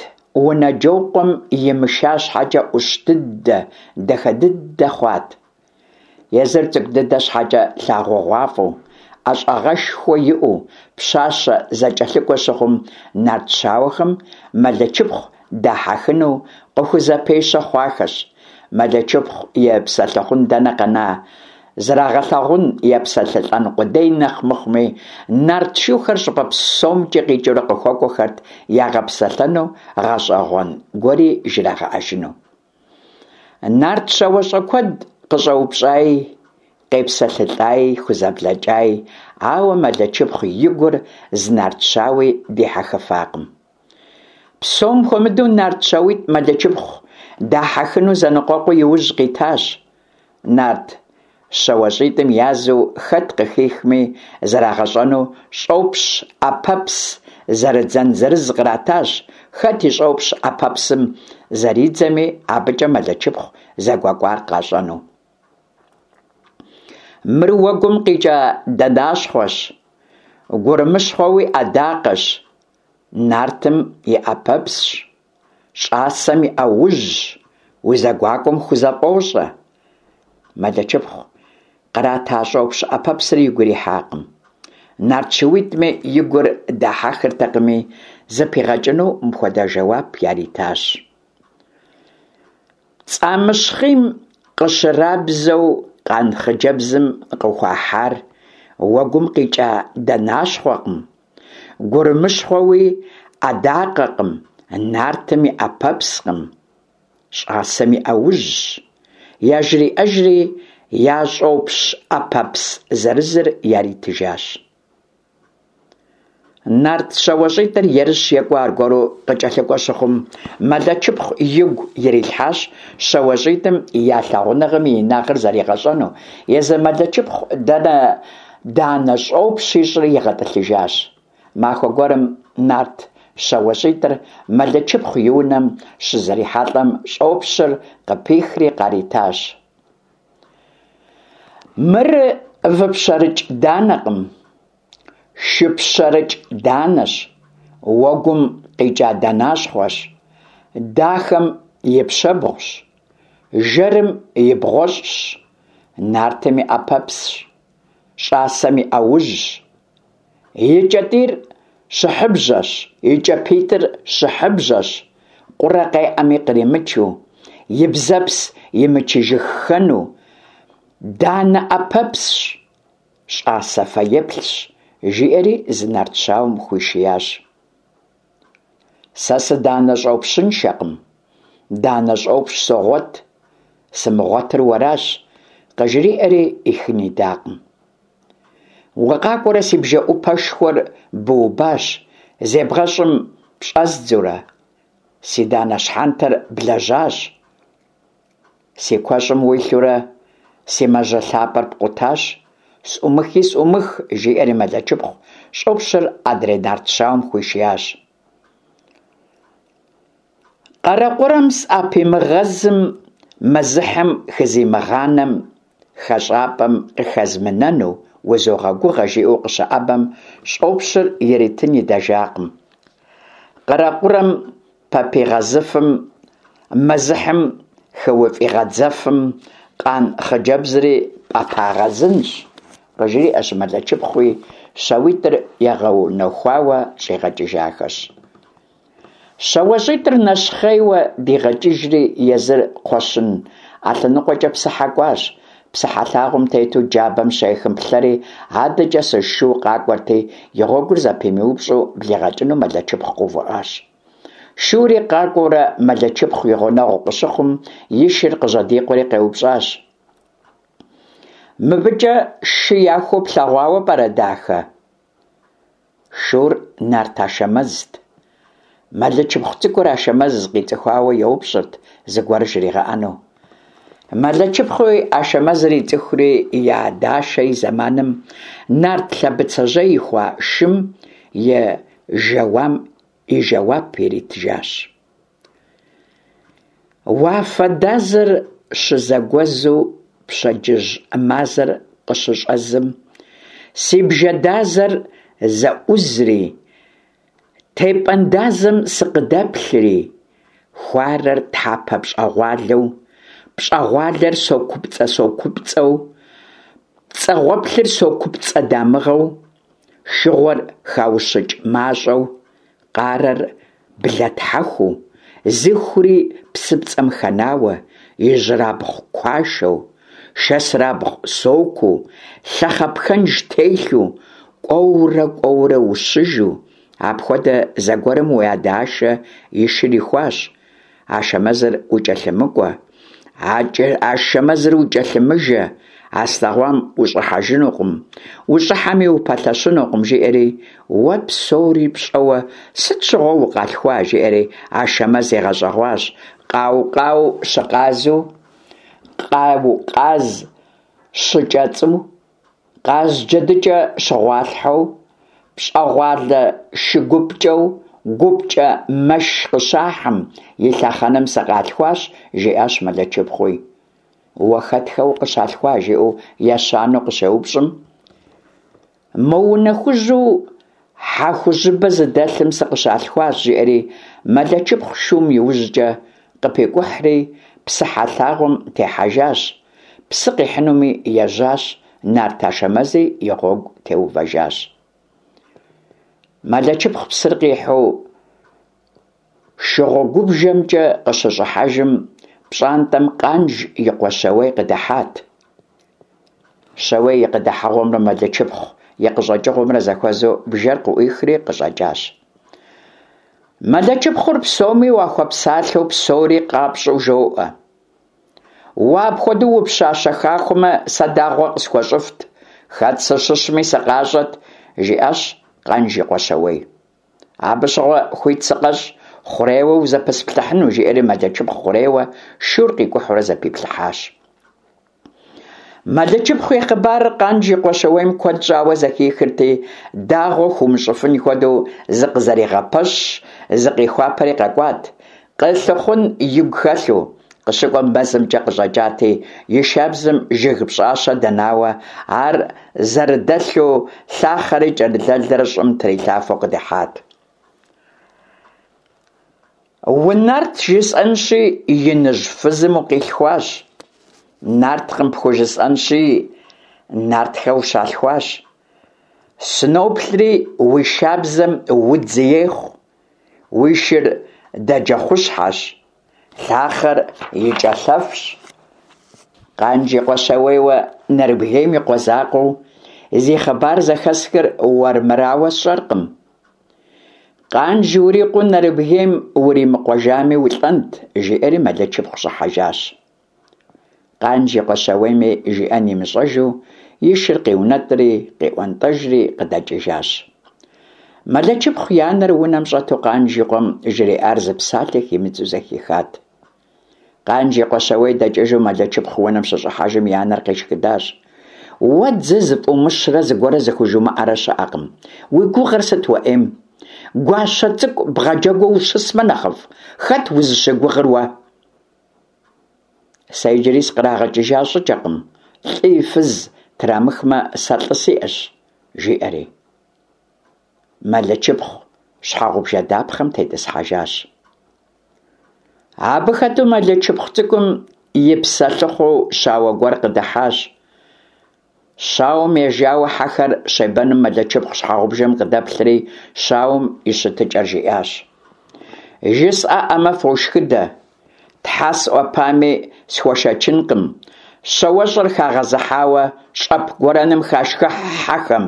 Унэджокъуэм имыша щхьэкӏэ ӏущ дыдэ, дахэ дыдэ хъуат. Езыр цӏыкӏу дыдэ щхьэкӏэ лъагъугъуафӏэу, ӏэщӏагъэшхуэ иӏэу, пщащэ зэкӏэлъыкӏуэ щыхъум, нарт щауэхэм Мэлычыпхъу дахьэхыну къыхузэпещэ хъуахэщ. Мэлычыпхъу епсэлъыхъун дэнэ къэна, зрагъэлъагъун, епсэлъылӏэн къудей нэхъ мыхъуми, нарт шухэр щӏыпӏэ псомкӏи къикӏыурэ къыхуэкӏуэхэрт ягъэпсэлъэну, гъэщӏэгъуэн гуэри жрагъэӏэжыну. Нарт щауэщӏэ куэд къыщӏэупщӏаи, къепсэлъылӏаи, хузэблэкӏаи, ауэ Мэлычыпхъу и гур зы нарт щауи дихьэхыфакъым. Псом хуэмыдэу нарт щауитӏ Мэлычыпхъу дахьэхыну зэныкъуэкъуу иужь къитащ. Нарт щауэщӏитӏым язу хэт къыхихми зэрагъэщӏэну щӏопщ ӏэпэпс зэрыдзэн зырыз къратащ, хэт и щӏопщ ӏэпэпсым зэридзэми, абыкӏэ Мэлычыпхъу зэгуэкӏуар къащӏэну. Мыр уэгум къикӏа дэнащхъуэщ, гурымыщхъуэуи ӏэдакъэщ, нартым и ӏэпэпсщ. Щӏасэм и ӏэужьщ, узэгуакӏуэм хузэфӏощӏэ. Мэлычыпхъу кърата щӏопщ ӏэпэпсыр игу ирихьакъым. Нарт шууитӏми и гур дахьэхыртэкъыми, зыпигъэкӏыну мыпхуэдэ жэуап яритащ. Цӏамыщхъийм къыщырабзэу къан хъыджэбзым къыхуахьар уэгум къикӏа дэнащхъуэкъым, Гурымыщхъуэуи ӏэдакъэкъым, нартым и ӏэпэпскъым, щӏасэм и ӏэужьщ, яжриӏэжри я щӏопщ ӏэпэпс зырызыр яритыжащ. Нарт щауэщӏитӏыр ерыщ екӏуэ аргуэру къыкӏэлъыкӏуэ щыхъум, Мэлычыпхъу игу ирилъхьащ щауэщӏитӏым я лъагъуныгъэм и инагъыр зэригъэщӏэну, езы Мэлычыпхъу дэнэ Данэ щӏопщ ищӏри игъэтӏылъыжащ. Махуэ гуэрым нарт щауэщӏитӏыр Мэлычыпхъу и унэм щызэрихьэлӏэм щӏопщыр къыпихри къаритащ. Мыр выпщэрыкӏ данэкъым, шыпщэрыкӏ данэщ, уэгум къикӏа дэнащхъуэщ, дахэм и пщэбгъущ, жэрым и бгъуэщӏщ, нартым и ӏэпэпсщ. Щӏасэм и ӏэужьщ. И кӏэтӏийр щыхьыбжьэщ, и кӏапитӏыр щыхьыбжьэщ, къурэ къеӏэми къримычу, и бзэпс имычыжыххэну, данэ ӏэпэпсщ, щӏасэ фэеплъщ, жиӏэри зы нарт щауэм хуишиящ. Сэ сыданэ щӏопщыншэкъым, данэ щӏопщ согъуэт, сымыгъуэтыр уэращ, къыжриӏэри ӏихын идакъым. Укъакӏуэрэ си бжэӏупэшхуэр быубащ, зебгъэщӏым пщӏэздзурэ, си данэ щхьэнтэр блэжьащ. Си куэщӏым уилъурэ си мажьэ лъапӏэр пкъутащ. Сӏумыхи сӏумых, жиӏэри Мэлэчыпхъу щӏопщыр адрей нарт щауэм хуишиящ. Къэрэкъурэм сӏэпимыгъэзым, мэзыхьым хызимыгъанэм, хэщӏапӏэм къыхэзмынэну узогъэгугъэ, жиӏэу къыщыӏэбэм, щӏопщыр иритын идэжакъым. Къэрэкъурэм пэпигъэзыфым, мэзыхьым хыуфӏигъэдзэфым, къан хъыджэбзри пӏэпагъэзынщ, къыжриӏэщ Мэлэчыпхъуи, щауитӏыр игъэунэхуауэ щӏигъэкӏыжахэщ. Щауэщӏитӏыр нэщхъейуэ дигъэкӏыжри, езыр кхъуэщын ӏэлъэныкъуэкӏэ псыхьэ кӏуащ. Псыхьэ лъагъуэм тету джабэм щехым плъэри, адэкӏэ зы шу къакӏуэрти, и гъуэгур зэпимыупщӏу блигъэкӏыну Мэлэчыпхъу къэувыӏащ. Шури къакӏуэурэ Мэлэчыпхъу и гъунэгъу къыщыхъум, и шыр къыжьэдикъуэри къеупщӏащ. Мыбыкӏэ шы яхуу плъэгъуауэ пӏэрэ, дахэ? Шур нарт Ашэмэзт. Мэлычыпхъу цӏыкӏур Ашэмэз къицӏыхуауэ еупщӏырт зыгуэр жригъэӏэну. Мэлычыпхъуи Ашэмэзыр ицӏыхури и адэ Ашэ и зэманым нарт Лъэбыцэжьей ихуа шым и жэуам и жэуап иритыжащ. Уафэ дазэр щызэгуэзу пщэдджыжь мазэр къыщыщӏэзым, си бжэ дазэр зэӏузри, тепӏэн дазэм сыкъыдэплъри, хуарэр тхьэпэ пщӏэгъуалэу, пщӏэгъуалэр сокупцӏэ-сокупцӏэу, пцӏэгъуэплъыр сокупцӏэ дамыгъэу, шыгъуэр хаущыкӏ мащӏэу, Къарэр блэтхьэхуу, зыхури псыпцӏэм хэнауэ, ижьырабгъу куашэу, шэсырабгъу сокуу, лъэхъэ пхэнж телъу, кӏуэурэ-кӏуэурэ ущыжу, апхуэдэ зэгуэрым уи адэ Ашэ и шыр ихуащ. Ашэмэзыр укӏэлъымыкӏуэ, Ашэмэзыр укӏэлъымыжэ, а слъэгъуам ущӏыхьэжынукъым, ущӏыхьэми упэлъэщынукъым, жиӏэри, уэ псори пщӏэуэ сыт щыгъуэ укъалъхуа, жиӏэри Ашэмэз игъэщӏэгъуащ, къау-къау щыкъазу, къау-къаз щыкӏэцӏу. Къаз джэдыкӏэ щыгъуалъхьэу, пщӏэгъуалэ шыгупкӏэу, гупкӏэ мэш къыщахьым и лъэхъэнэм сыкъалъхуащ, жиӏащ Мэлэчыпхъуи. Уэ хэтхэ укъыщалъхуа, жиӏэу ещанэу къыщеупщӏым, мо унэ хужьу хьэ хужьыбэ зыдэлъым сыкъыщалъхуащ, жиӏэри Мэлэчыпхъу шум иужькӏэ къыпикӏухьри псыхьэ лъагъуэм техьэжащ, Псы къихьынуми ежьащ, нарт Ашэмэзи и гъуэгу теувэжащ. Мэлэчыпхъу псыр къихьу шыгъуэгубжэмкӏэ къыщыщӏыхьэжым, пщӏантӏэм Къанж и къуэ Щауей къыдыхьат. Щауей и къыдыхьэгъуэмрэ Мэлэчыпхъу и къыщӏэкӏыгъуэмрэ зэхуэзэу бжэр къыӏуихри къыщӏэкӏащ. Мэлэчыпхъур псоми уахуэпсалъэу псори къапщӏэу жоӏэ. Уэ апхуэдэу упщащэ хахуэмэ, сэ дагъуэ къысхуэщӏыфт, хэт сыщыщми сыкъащӏэт, жиӏащ Къанж и къуэ Щауей. Абы щыгъуэ хуит сыкъэщӏ, хъурейуэ узэпысплъыхьыну, жиӏэри Мэлэчыпхъу хъурейуэ шур къикӏухьурэ зэпиплъыхьащ. Мэлэчыпхъу и хъыбарыр Къанж и къуэ Щауейм куэд щӏауэ зэхихырти, дагъуэ хуумыщӏыфын хуэдэу зыкъызэригъэпэщщ, зыкъихуапэри къэкӏуат. Къылъыхъун игу хэлъу, къыщыкӏуэм мэзымкӏэ къыщӏэкӏати, и шабзэм жыг пщӏащэ дэнауэ, ар зэрыдэлъу лъахъэри кӏэрылэлрэ щӏым трилъафэу къыдыхьат. Унарт жысӏэнщи, иныжь фызым укъилъхуащ. Нарткъым пхужысӏэнщи, нартхэ ущалъхуащ. Сыноплъри, уи шабзэм удз ехъу. Уи шыр дэджэхъущхьэщ, лъахъэр и кӏэлъэфщ. Къанж и къуэ Щауейуэ Нэрыбгейм и къуэ закъуэу зи хъыбар зэхэсхыр уэрмырауэ сщӏэркъым. Къанж урикъуэу Нэрыбгейм уримыкъуэжами улӏэнт, жиӏэри Мэлэчыпхъу щӏыхьэжащ. Къанж и къуэ Щауейми жиӏэн имыщӏэжу и шыр къиунэтӏри, къиӏуэнтӏэжри къыдэкӏыжащ. Мэлэчыпхъу и анэр унэм щӏэту Къанж и къуэм жриӏар зы псалъэ химыдзу зэхихат. Къанж и къуэ Щауей дэкӏыжу Мэлэчыпхъу унэм щыщӏыхьэжым и анэр къешхыдащ. Уэ дзы зыфӏумыщрэ зыгуэрэ зыхужумыӏэрэ щыӏэкъым. Уи гугъэр сыт уэ ӏейм? Гуащэ цӏыкӏу бгъэджэгуу ущысмэ нэхъыфӏ? Хэт узыщыгугъыр уэ? Сэ иджыри сыкърагъэкӏыжа щӏыкӏэкъым, лӏыи фыз трамыхмэ, сэ лӏы сиӏэщ, жиӏэри. Мэлычыпхъу щхьэгъубжэ дапхъэм тетӏысхьэжащ. Абы хэту Мэлычыпхъу цӏыкӏум и псэлъыхъуу щауэ гуэр къыдыхьащ. Щауэм ежауэ хьэхэр щебэным Мэлычыпхъу щхьэгъубжэм къыдэплъри, щауэм и щытыкӏэр жиӏащ. Жысӏэӏэмэ, фошхыдэ. Тхьэ сӏуэпами, схуэшэчынкъым. Щауэщӏэр хагъэзыхьауэ щӏэп гуэрэным хашхыхь хьэхэм.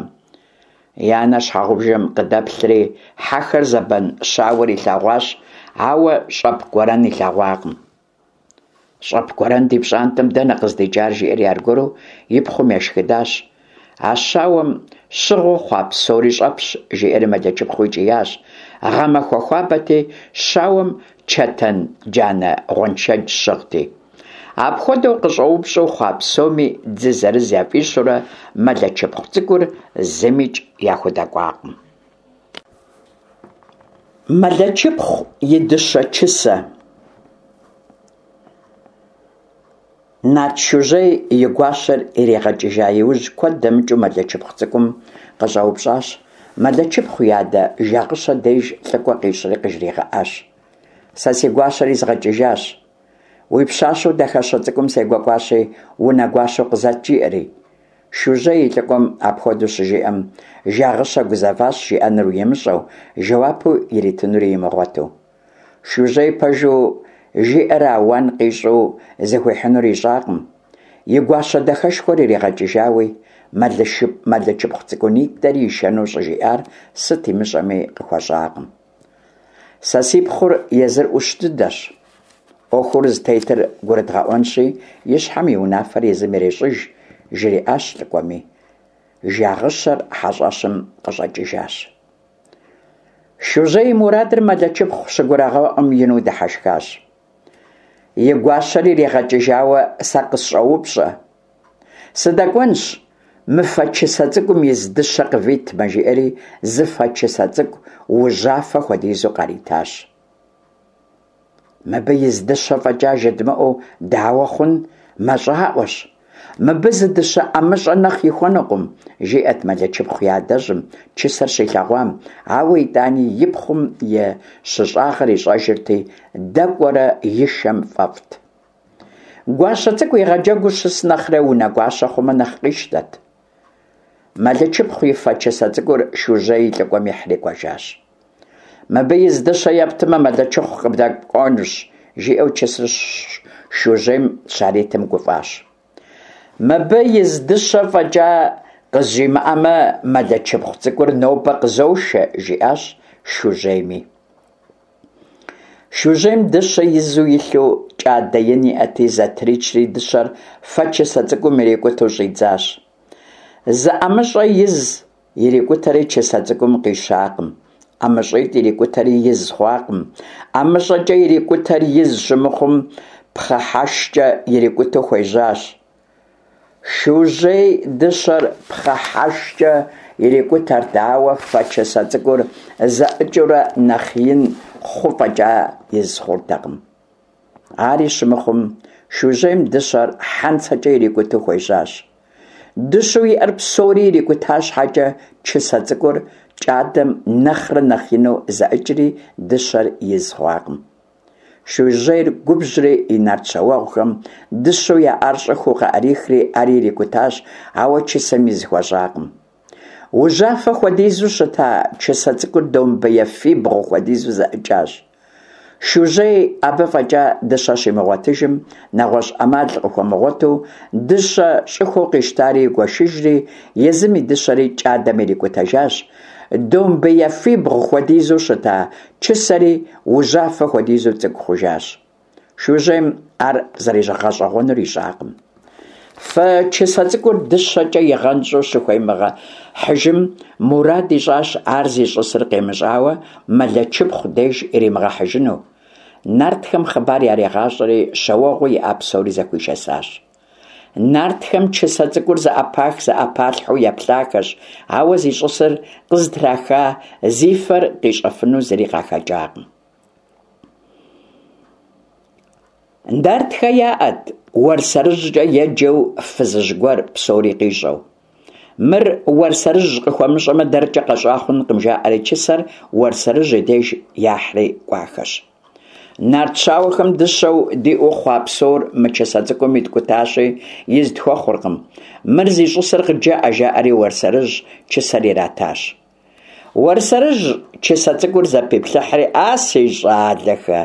И анэр щхьэгъубжэм къыдэплъри, хьэхэр зэбэн щауэр илъэгъуащ, ауэ щӏэп гуэрэн илъэгъуакъым. Щӏэп гуэрэн ди пщӏантӏэм дэнэ къыздикӏар, жиӏэри аргуэру и пхъум ешхыдащ. А щауэм щыгъыу хъуа псори щӏэпщ, жиӏэри Мэлычыпхъуи кӏиящ. Гъэмахуэ хуабэти, щауэм чэтэн джанэ гъуэншэдж щыгъти. Апхуэдэу къыщӏэупщӏэу хъуа псоми дзы зырыз яфӏищурэ Мэлычыпхъу цӏыкӏур зымикӏ яхудэкӏуакъым. Мэлычыпхъу и дыщэ чысэ. Нарт Шужьей и гуащэр иригъэкӏыжа иужь куэд дэмыкӏыу Мэлычыпхъу цӏыкӏум къыщӏэупщӏащ. Мэлычыпхъу и адэ Жагъыщэ деж лӏыкӏуэ къищӏри къыжригъэӏащ. Сэ си гуащэр изгъэкӏыжащ. Уи пщащэу дахэщэ цӏыкӏум сегуэкӏуащи, унэгуащэу къызэт, жиӏэри. Шужьей и лӏыкӏуэм апхуэдэу щыжиӏэм, Жагъыщэ гузэващ жиӏэнур имыщӏэу, жэуапу иритынури имыгъуэту. Шужьей пэжу жиӏэрэ ауан къищӏу зыхуихьынур ищӏакъым. И гуащэ дахэшхуэр иригъэкӏыжауи, Мэлычыпхъу цӏыкӏунитӏэри ишэну щӏыжиӏар сыт имыщӏэми къыхуэщӏакъым. Сэ си пхъур езыр ӏущ дыдэщ. Ӏуэхур зытетыр гурыдгъэӏуэнщи, и щхьэм и унафэр езым ирещӏыж, жриӏащ лӏыкӏуэми. Жагъыщэр хьэщӏэщым къыщӏэкӏыжащ. Шужьей и мурадыр Мэлычыпхъу щыгурагъэӏуэм ину дыхьэшхащ. И гуащэр иригъэкӏыжауэ сэ къысщӏоупщӏэ. Сыдэкӏуэнщ, мы фэ чысэ цӏыкӏум из дыщэ къывитмэ, жиӏэри зы фэ чысэ цӏыкӏу ужьафэ хуэдизу къаритащ. Мыбы из дыщэ фӏэкӏа жыдмыӏэу дауэ хъун, мащӏаӏуэщ. Мыбы зы дыщэ ӏэмыщӏэ нэхъ ихуэнукъым, жиӏэт Мэлычыпхъу и адэжьым чысэр щилъэгъуам, ауэ итӏани и пхъум и щыщӏагъэр ищӏэжырти, дэкӏуэрэ ишэм фӏэфӏт. Гуащэ цӏыкӏу игъэджэгуу щыс нэхърэ унэгуащэ хъумэ нэхъ къищтэт. Мэлычыпхъу и фэ чысэ цӏыкӏур Шужьей и лӏыкӏуэм ихьри кӏуэжащ. Мыбы из дыщэ ептмэ, Мэлычыпхъу къыбдэкӏуэнущ, жиӏэу чысэр Шужьейм щаритым гуфӏащ. Мыбы из дыщэ фӏэкӏа къызжимыӏэмэ, Мэлычыпхъу цӏыкӏур нобэ къызошэ, жиӏащ Шужьейми. Шужьейм дыщэ изу илъу кӏадэ ин иӏэти, зэтричри дыщэр фэ чысэ цӏыкӏум ирикӏутэу щӏидзащ. Зы ӏэмыщӏэ из ирикӏутэри чысэ цӏыкӏум къищакъым. ӏэмыщӏитӏ ирикӏутэри из хъуакъым. ӏэмыщӏэкӏэ ирикӏутэр из щымыхъум, пхъэхьэшкӏэ ирикӏутэу хуежьащ. Шужьей дыщэр пхъэхьэшкӏэ ирикӏутэрт, ауэ фэ чысэ цӏыкӏур зэӏыкӏыурэ нэхъ ин хъу фӏэкӏа из хъуртэкъым. Ари щымыхъум, Шужьейм дыщэр хьэнцэкӏэ ирикӏутэу хуежьащ. Дыщэу иӏэр псори ирикӏута щхьэкӏэ, чысэ цӏыкӏур кӏадэм нэхърэ нэхъ ину зэӏыкӏри, дыщэр из хъуакъым. Шужьейр губжьри и нарт щауэгъухэм дыщэу яӏар щӏыхуэу къаӏрихри ари ирикӏутащ, ауэ чысэм из хуэщӏакъым. Ужьафэ хуэдизу щыта чысэ цӏыкӏур домбеяфибгъу хуэдизу зэӏыкӏащ. Шужьей абы фӏэкӏа дыщэ щимыгъуэтыжым, нэгъуэщӏ ӏэмал къыхуэмыгъуэту, дыщэ щӏыхуэу къищтари игуэшыжри, езым и дыщэри кӏадэм ирикӏутэжащ. Домбеяфибгъу хуэдизу щыта чысэри ужьафэ хуэдизу цӏыкӏу хъужащ. Шужьейм ар зэригъэщӏэгъуэнур ищӏакъым. Фэ чысэ цӏыкӏур дыщэкӏэ игъэнщӏу щыхуемыгъэхьыжым, мурад ищӏащ ар зищӏысыр къимыщӏауэ Мэлычыпхъу деж иримыгъэхьыжыну. Нартхэм хъыбар яригъащӏэри, щауэгъуу иӏа псори зэхуишэсащ. Нартхэм чысэ цӏыкӏур зэӏэпах-зэӏэпалъхьэу еплъахэщ, ауэ зищӏысыр къызытраха, зи фэр къищӏэфыну зыри къахэкӏакъым. Нартхэ яӏэт Уэрсэрыжькӏэ еджэу фызыжь гуэр псори къищӏэу. Мыр Уэрсэрыжь къыхуэмыщӏэмэ, дэркӏэ къэщӏа хъункъым, жаӏэри чысэр Уэрсэрыжь и деж яхьри кӏуахэщ. Нарт щауэхэм дыщэу диӏэу хъуа псор мы чысэ цӏыкӏум иткӏутащи, из тхуэхъуркъым. Мыр зищӏысыр къыджэӏэ, жаӏэри Уэрсэрыжь чысэр иратащ. Уэрсэрыжь чысэ цӏыкӏур зэпиплъыхьри, А си щӏалэхэ,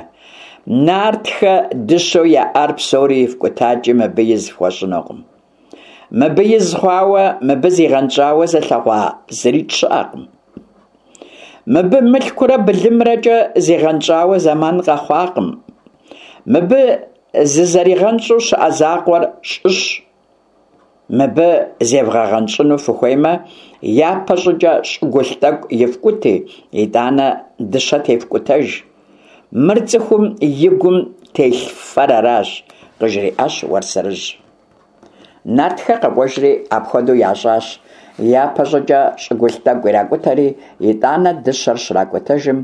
нартхэ дыщэу яӏар псори ифкӏутакӏи мыбы из фхуэщӏынукъым. Мыбы из хъуауэ, мыбы зигъэнщӏауэ зылъэгъуа зырикӏ щыӏэкъым. Мыбы мылъкурэ былымрэкӏэ зигъэнщӏауэ зэман къэхъуакъым. Мыбы зызэригъэнщӏу щыӏэ закъуэр щӏыщ. Мыбы зевгъэгъэнщӏыну фыхуеймэ, япэ щӏыкӏэ щӏыгулъ тӏэкӏу ифкӏути, итӏанэ дыщэ тефкӏутэж. Мыр цӏыхум и гум телъ фэр аращ, къыжриӏащ Уэрсэрыжь. Нартхэ къэкӏуэжри апхуэдэу ящӏащ. Япэ щӏыкӏэ щӏыгулъ тӏэкӏу иракӏутэри, итӏанэ дыщэр щракӏутэжым,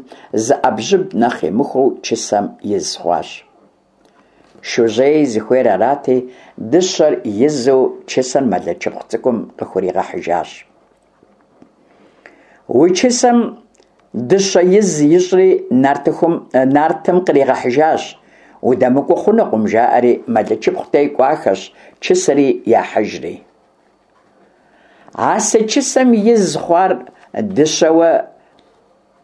зы ӏэбжьыб нэхъ имыхуэу чысэм из хъуащ. Шужьей зыхуейр арати, дыщэр изу чысэр Мэлычыпхъу цӏыкӏум къыхуригъэхьыжащ. Уи чысэм дыщэ из ищӏри нартыхум, нартым къригъэхьыжащ. Удэмыкӏуэу хъунукъым, жаӏэри Мэлычыпхъу дей кӏуахэщ, чысэри яхьыжри. А си чысэм из хъуар дыщэуэ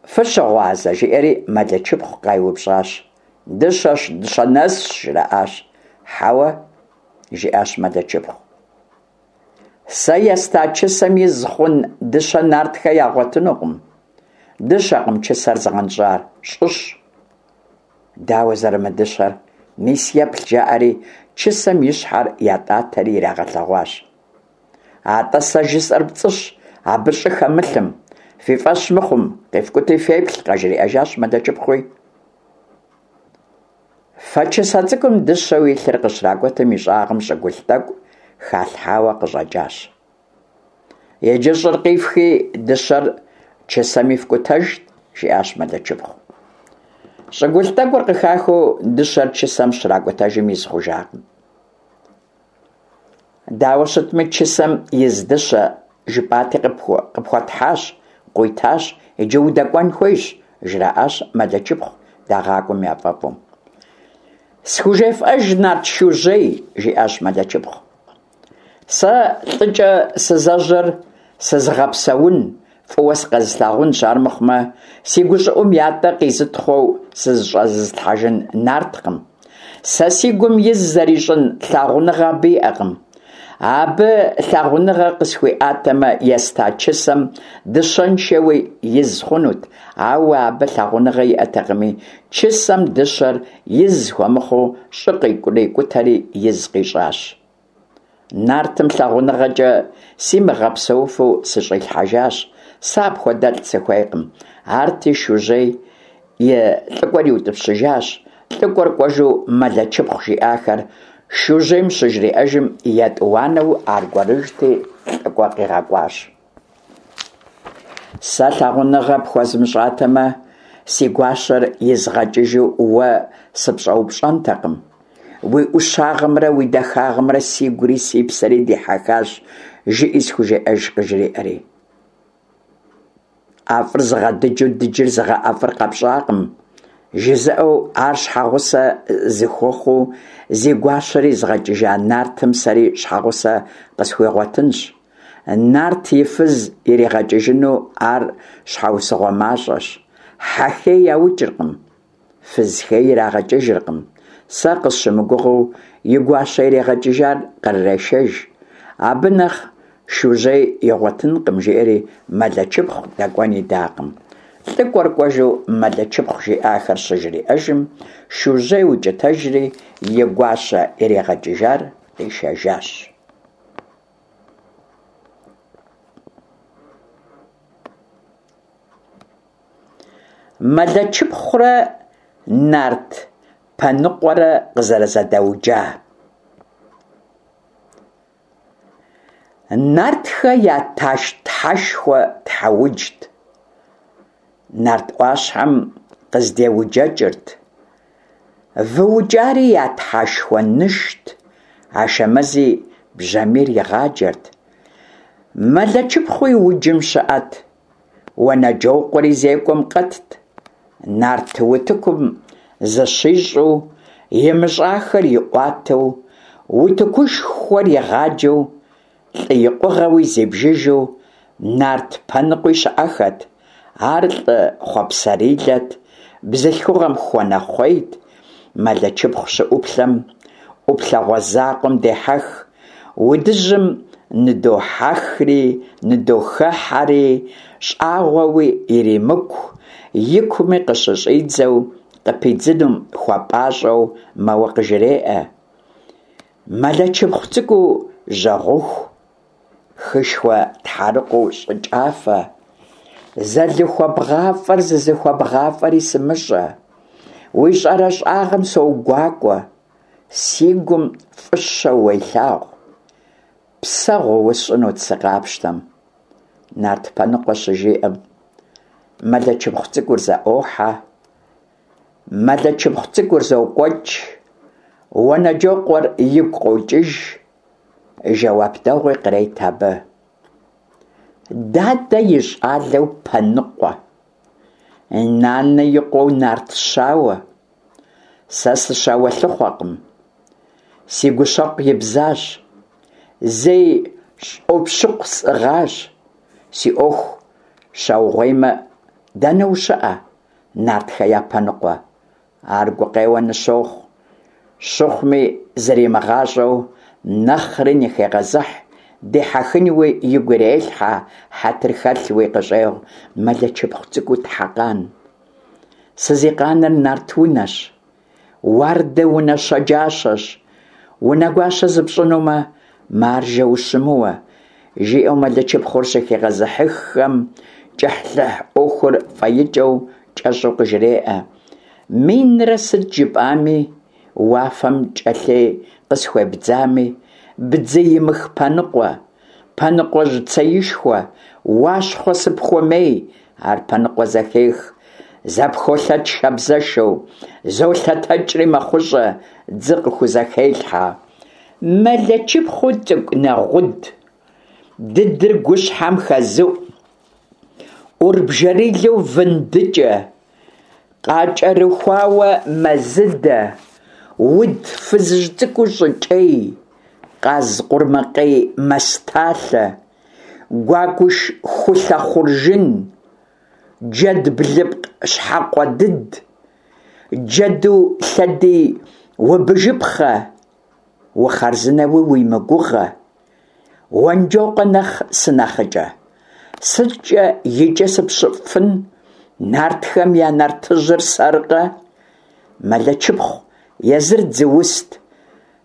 фыщыгъуазэ, жиӏэри Мэлычыпхъу къайупщӏащ. Дыщэщ, дыщэ нэсщ, жраӏащ. Хьэуэ, жиӏащ Мэлычыпхъу. Сэ еста чысэм из хъун дыщэ нартхэ ягъуэтынукъым. Дыщэкъым чысэр зыгъэнщӏар, щӏыщ. Дауэ зэрымыдыщэр? Мис еплъ, жаӏэри, чысэм и щхьэр ятӏатэри ирагъэлъэгъуащ. Атӏэ сэ жысӏэр пцӏыщ, абы щӏы хэмылъым. Фи фӏэщ мыхъум, къифкӏути феплъ, къажриӏэжащ Мэлычыпхъуи. Фэ чысэ цӏыкӏум дыщэу илъыр къыщракӏутым и щӏагъым щӏыгулъ тӏэкӏу халъхьауэ къыщӏэкӏащ. Иджы щӏыр къифхи, дыщэр чысэм ифкӏутэж, жиӏащ Мэлычыпхъу. Щӏыгулъ тӏэкӏур къыхахыу дыщэр чысэм щракӏутэжым из хъужакъым. Дауэ щытми, чысэм из дыщэ жыпӏати къыпхуэтхьащ, къуитащ, иджы удэкӏуэн хуейщ, жраӏащ Мэлычыпхъу дагъакӏуэм яфӏэфӏу. Схужефӏэж нарт Шужьей, жиӏащ Мэлычыпхъу. Сэ лӏыкӏэ сызэжьэр сызыгъэпсэун, фӏыуэ сыкъэзылъагъунщ, армыхъумэ, си гущӏыӏум ятӏэ къизытхъуэу сызыщӏэзылъхьэжын нарткъым. Сэ си гум из зэрищӏын лъагъуныгъэ абы иӏэкъым. Абы лъагъуныгъэ къысхуиӏатэмэ, еста чысэм дыщэншэуи из хъунут, ауэ абы лъагъуныгъэ иӏэтэкъыми, чысэм дыщэр из хуэмыхъуу щӏы къикӏутэри из къищӏащ. Нартым лъагъуныгъэкӏэ симыгъэпсэуфу сыщӏилъхьэжащ, сэ апхуэдэлӏ сыхуейкъым. Арти Шужьей и лӏыкӏуэр иутӏыпщыжащ. Лӏыкӏуэр кӏуэжу Мэлычыпхъу жиӏахэр Шужьейм щыжриӏэжым, етӏуанэу аргуэрыжьти лӏыкӏуэ къигъэкӏуащ. Сэ лъагъуныгъэ пхуэзмыщӏатэмэ, си гуащэр изгъэкӏыжу уэ сыпщӏэупщӏэнтэкъым. Уи ӏущагъымрэ уи дахагъымрэ сигури си псэри дихьэхащ, жыӏи схужеӏэж, къыжриӏэри. ӏэфӏыр зыгъэдыджу дыджыр зыгъэӏэфӏыр къэпщӏакъым, жызыӏэу ар щхьэгъусэ зыхуэхъуу зи гуащэр изгъэкӏыжа нартым сэри щхьэгъусэ къысхуигъуэтынщ. Нарт и фыз иригъэкӏыжыну ар щхьэусыгъуэ мащӏэщ. Хьэ хей яукӏыркъым, фыз хей ирагъэкӏыжыркъым. Сэ къысщымыгугъыу и гуащэ иригъэкӏыжар кърырешэж. Абы нэхъ Шужьей игъуэтынкъым, жиӏэри Мэлычыпхъу дэкӏуэн идакъым. Лӏыкӏуэр кӏуэжу Мэлычыпхъу жиӏахэр щыжриӏэжым, Шужьей укӏытэжри и гуащэ иригъэкӏыжар къишэжащ. Мэлычыпхъурэ нарт Пэныкъуэрэ къызэрызэдэуджа. Нартхэ я Тхьэшхуэ Тхьэуджт. Нарт ӏуащхьэм къыздеуджэкӏырт. Вы укӏари я Тхьэшхуэ Нышт, Ашэмэзи бжьамийр игъаджэрт. Мэлэчыпхъуи уджым щыӏэт, Уэнэджокъуэри зекӏуэм къэтт. Нарт утыкум зыщищӏу, имыщӏахэр иӏуатэу, утыкушхуэр игъаджэу, лӏы икъугъэуи зибжыжу нарт Пэныкъуи щыӏэхэт. Ар лӏы хъуэпсэрилэт, бзылъхугъэм хуэнэхъуейт, Мэлэчыпхъу щыӏуплъэм, ӏуплъэгъуэ закъуэм дехьэх, удыжьым ныдохьэхри, ныдохэхьэри, щӏагъуэуи иримыку, икуми къыщыщӏидзэу, къыпидзынум хуэпӏащӏэу мэуэ къыжреӏэ. Мэлэчыпхъу цӏыкӏуу жьэгъуху, Хышхуэ тхьэрыкъуэу щӏыкӏафэ, Зэлыхуэбгъафӏэр зызыхуэбгъафӏэри сымыщӏэ. Уи щӏэрэщӏагъэм соугуакӏуэ, Си гум фӏыщэу уелъагъу. Псэгъу усщӏынут сыкъапщтэм. Нарт Пэныкъуэ щыжиӏэм, Мэлэчыпхъу цӏыкӏур зэӏохьэ, Мэлэчыпхъу цӏыкӏур зокӏуэкӏ, Уэнэджокъуэр игу къокӏыж, Жэуап дэгъуи кърет абы. Дадэ и щӏалэу Пэныкъуэ, Нанэ и къуэу нарт щауэ, Сэ сыщауэлъыхъуэкъым, Си гущэкъу ибзащ, Зей щӏопщыкъу сӏыгъащ, Си ӏуэху щаугъуеймэ, Дэнэ ущыӏэ, Нартхэ я Пэныкъуэ? Ар гукъеуэ ныщохъу. Щыхъуми, зримыгъащӏэу, нэхъри ныхегъэзыхь, дихьэхынуи игу ирелъхьэ, хьэтыр хэлъуи къыщӏегъу Мэлэчыпхъу цӏыкӏуу Тхьэкъан. Сызикъаныр нарт унэщ, уардэ унэ щэджащэщ, унэгуащэ зыпщӏынумэ, маржэ ущымыуэ, жиӏэу Мэлэчыпхъур щыхигъэзыхьыххэм, кӏыхьлӏыхь ӏуэхур фӏэикӏэу кӏэщӏу къыжреӏэ. Минрэ сыт жыпӏами, уафэм кӏэлъей къысхуебдзами, бдзыимых Пэныкъуэ, Пэныкъуэжь цеишхуэ, Уащхъуэ сыпхуэмей, ар Пэныкъуэ зэхех, зэпхолъэт шабзэшэу, золъэтэкӏри мэхъущӏэ, дзы къыхузэхелъхьэ. Мэлэчыпхъуу цӏыкӏу нэгъуд, дыдыр гущхьэм хэзыӏу, ӏурбжэрилэу вындыкӏэ, къакӏэрыхуауэ мэзыдэ, уд фызыжь цӏыкӏуу щӏыкӏей, къаз къурмакъей мэсталъэ, гуакӏуш хулъэ хъуржын, джэд блыпкъ щхьэкъуэдыд, джэду лъэдий убыжыпхъэ, Ухъарзынэуи уимыгугъэ, Уэнджокъуэ нэхъ сынэхъыкӏэ. Сыткӏэ икӏэ сыпщыфын, нартхэм я нартыжьыр сэркъэ? Мэлэчыпхъу езыр дзыуст,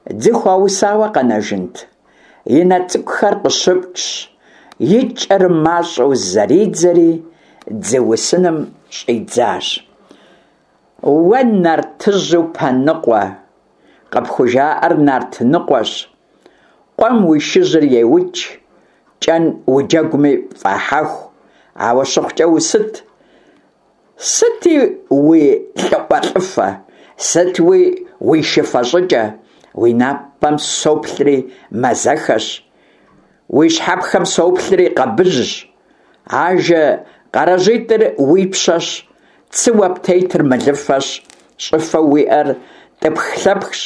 дзы хуаусауэ къэнэжынт. И нэ цӏыкӏухэр къыщыпкӏщ, и кӏэр мащӏэу зэридзэри, дзы усыным щӏидзащ. Уэ нартыжьу Пэныкъуэ, къыпхужаӏэр нарт ныкъуэщ. Къуэм уи шыжьыр еукӏ, кӏэн уджэгуми пфӏахьэху, ауэ щыхъукӏэ усыт? Сыти уи лӏыӏуэлӏыфэ, сытуи уи шыфэ щӏыкӏэ, уи напэм соплъри мазэхэщ, уи щхьэпхэм соплъри къэбыжьщ. Ажэ къарэжьитӏыр уи пщэщ, цыуэ птетыр мылыфэщ, щӏыфэу уиӏэр тӏыпх-лъэпхщ,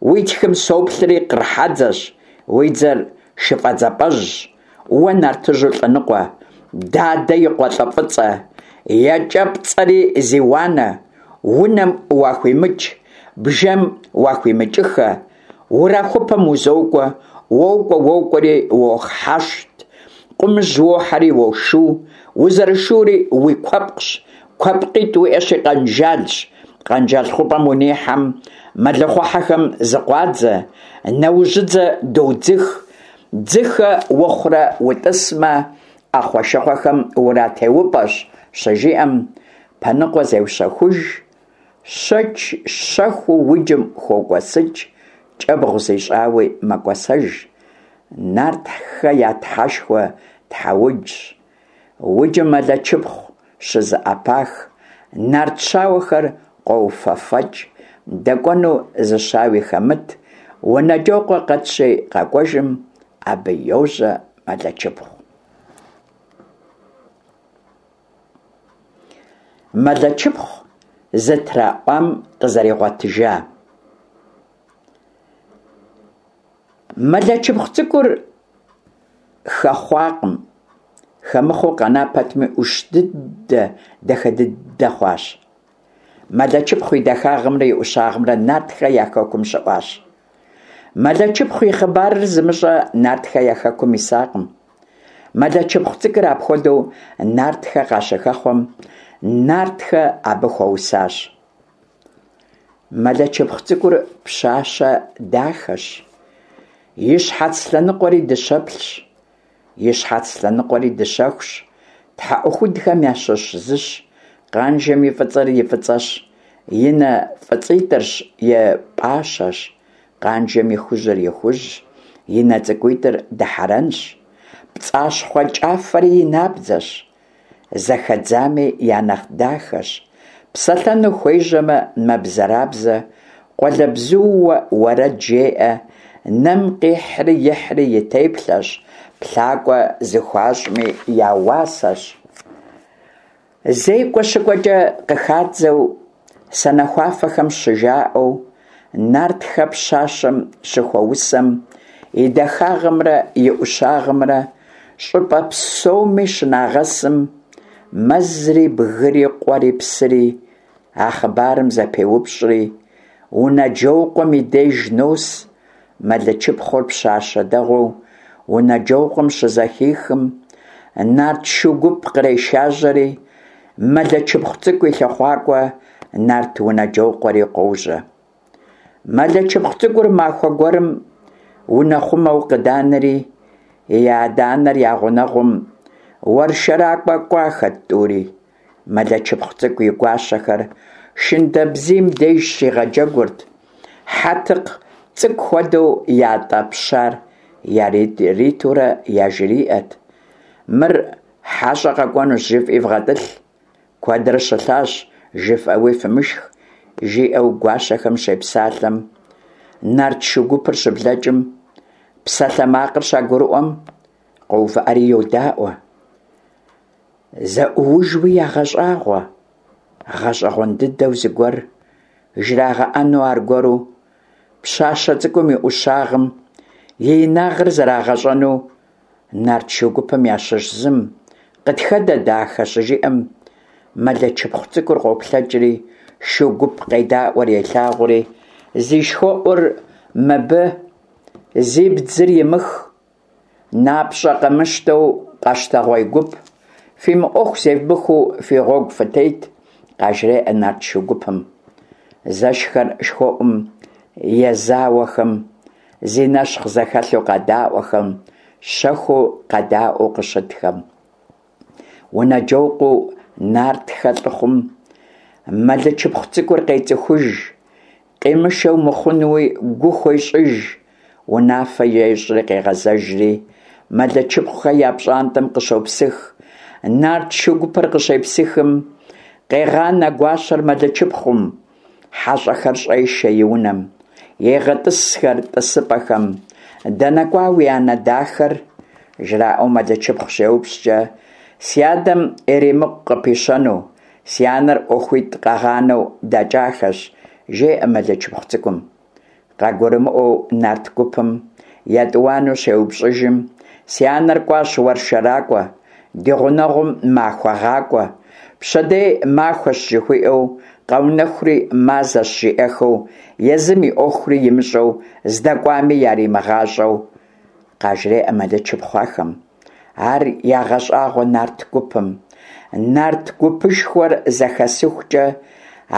уи тхым соплъри къыр хьэдзэщ, уи дзэр шыфӏэдзапӏэжьщ, уэ нартыжьу лӏыныкъуэ, дадэ и къуэ лӏы фӏыцӏэ, екӏэпцӏэри зи уанэ, унэм уахуимыкӏ, бжэм уахуимыкӏыххэ, Урахупэм узокӏуэ, уокӏуэ, уокӏуэри уохьэщт, къумыжь уохьэри уошу, узэрышури уи куэпкъщ, куэпкъитӏ уиӏэщи къэнжалщ, къэнжал хъупӏэм унихьэм, мэлыхъуэхьэхэм зыкъуадзэ, нэужьыдзэ додзых, дзыхэ ухъурэ утӏысмэ, ӏэхъуэ-шыхъуэхэм уратеупӏэщ, щыжиӏэм, Пэныкъуэ зеущэхуж, Щэч щэхуу уджым хокӏуэсыкӏ, кӏэбгъу зищӏауи мэкӏуэсэж. Нартхэ я тхьэшхуэ Тхьэуджщ. Уджым Мэлэчыпхъу щызэӏэпах, нарт щауэхэр къоуфэфэкӏ, дэкӏуэну зы щауи хэмыт, Унэджокъуэ къэтщи къэкӏуэжым, абы йожьэ Мэлэчыпхъу. Мэлэчыпхъу зытраӏуам къызэригъуэтыжа. Мэлэчыпхъу цӏыкӏур хэхъуакъым, хэмыхъуэу къэна пэтми, ӏущ дыдэ, дахэ дыдэ хъуащ. Мэлэчыпхъу и дахагъымрэ и ӏущагъымрэ Нартхэ я хэкум щыӏуащ. Мэлэчыпхъу и хъыбарыр зымыщӏэ Нартхэ я хэкум исакъым. Мэлэчыпхъу цӏыкӏур апхуэдэу Нартхэ къащыхэхъуэм, Нартхэ абы хуэусащ. Мэлэчыпхъу цӏыкӏур пщащэ дахэщ, и щхьэц лъэныкъуэри дыщэплъщ, и щхьэц лъэныкъуэри дыщэхущ, тхьэӏухудхэм ящыщ зыщ, къанжэм и фӏыцӏэр и фӏыцӏэщ, и нэ фӏыцӏитӏырщ и пӏащэщ, къанжэм и хужьыр и хужьщ, и нэ цӏыкӏуитӏыр дыхьэрэнщ, пцӏащхъуэ кӏафэри и набдзэщ. Зэхэдзами я нэхъ дахэщ. Псэлъэну хуежьэмэ, мэбзэрабзэ, къуалэбзууэ уэрэд жеӏэ, нэм къихьри ихьри и теплъэщ, плъакӏуэ зыхуащӏми я уасэщ. Зекӏуэ щыкӏуэкӏэ къыхадзэу, санэхуафэхэм щыжаӏэу, Нартхэ пщащэм щыхуэусэм, и дахагъымрэ и ӏущагъымрэ щӏыпӏэ псоми щынагъэсым, мэзри, бгыри, къуэри, псыри а хъыбарым зэпеупщӏри, Унэджокъуэм и деж нос. Мэлычыпхъур пщащэ дэгъуэу Унэджокъуэм щызэхихым, нарт шу гуп кърешажьэри, Мэлэчыпхъу цӏыкӏу и лъыхъуакӏуэ нарт Унэджокъуэри къожьэ. Мэлэчыпхъу цӏыкӏур махуэ гуэрым унэхъумэу къыданэри, и адэ-анэр я гъунэгъум уэршэракӏуэ кӏуахэт тӏури. Мэлэчыпхъу цӏыкӏу и гуащэхэр шындэбзийм деж щигъэджэгурт, хьэтыкъ цӏыкӏу хуэдэу ятӏэ пщар яритурэ яжриӏэт: Мыр хьэщӏэ къэкӏуэнущ жыфӏи вгъэтӏылъ, куэдрэ щылъащ жыфӏэуи фымышх, жиӏэу гуащэхэм щепсалъэм, нарт шу гупыр щыблэкӏым, псалъэмакъыр щагурыӏуэм, къоувыӏэри йодаӏуэ. Зэӏуужуи ягъэщӏагъуэ, гъэщӏэгъуэн дыдэу зыгуэр жрагъэӏэну аргуэру, пщащэ цӏыкӏум и ӏущагъым и инагъыр зэрагъэщӏэну нарт шу гупым ящыщ зым «Къытхэдэ, дахэ!» щыжиӏэм, Мэлэчыпхъу цӏыкӏур къоплъэкӏри, шу гуп къедаӏуэр елъагъури, зи шхуэӏур мыбы, зи бдзыр имых, Напщӏэ къэмыщтэу къэщтэгъуей гуп, фи мыӏуэху зевмыхыу фи гъуэгу фытет, къажреӏэ нарт шу гупым. Зэшхэр шхуэӏум езауэхэм, зи нэщхъ зэхэлъу къэдаӏуэхэм, щэхуу къэдаӏуэу къыщытхэм. Унэджокъуэу нартхэ лӏыхъум Мэлычыпхъу цӏыкӏур къецӏыхуж, къимышэу мыхъунуи гу хуещӏыж, унафэ ещӏри къегъэзэжри, Мэлычыпхъухэ я пщӏантӏэм къыщопсых. Нарт шу гупыр къыщепсыхым, къегъанэ гуащэр Мэлычыпхъум, Хьэщӏэхэр щӏешэ и унэм, егъэтӏысхэр тӏысыпӏэхэм. Дэнэ кӏуа уи анэ дахэр? жраӏэу Мэлычыпхъу щеупщӏкӏэ, си адэм иримыкъу къыпищэну, си анэр ӏуэхуитӏ къагъанэу дэкӏахэщ, жеӏэ Мэлычыпхъу цӏыкӏум. Къагурымыӏуэу нарт гупым етӏуанэу щеупщӏыжым, си анэр кӏуащ уэршэракӏуэ, ди гъунэгъум махуэ гъакӏуэ, пщэдей махуэщ жыхуиӏэу, къэунэхури мазэщ жиӏэхэу, езым и ӏуэхури имыщӏэу, здэкӏуами яримыгъащӏэу, къажреӏэ Мэлычыпхъу ахэм. Ар ягъэщӏагъуэ нарт гупым. Нарт гупышхуэр зэхэсыхукӏэ,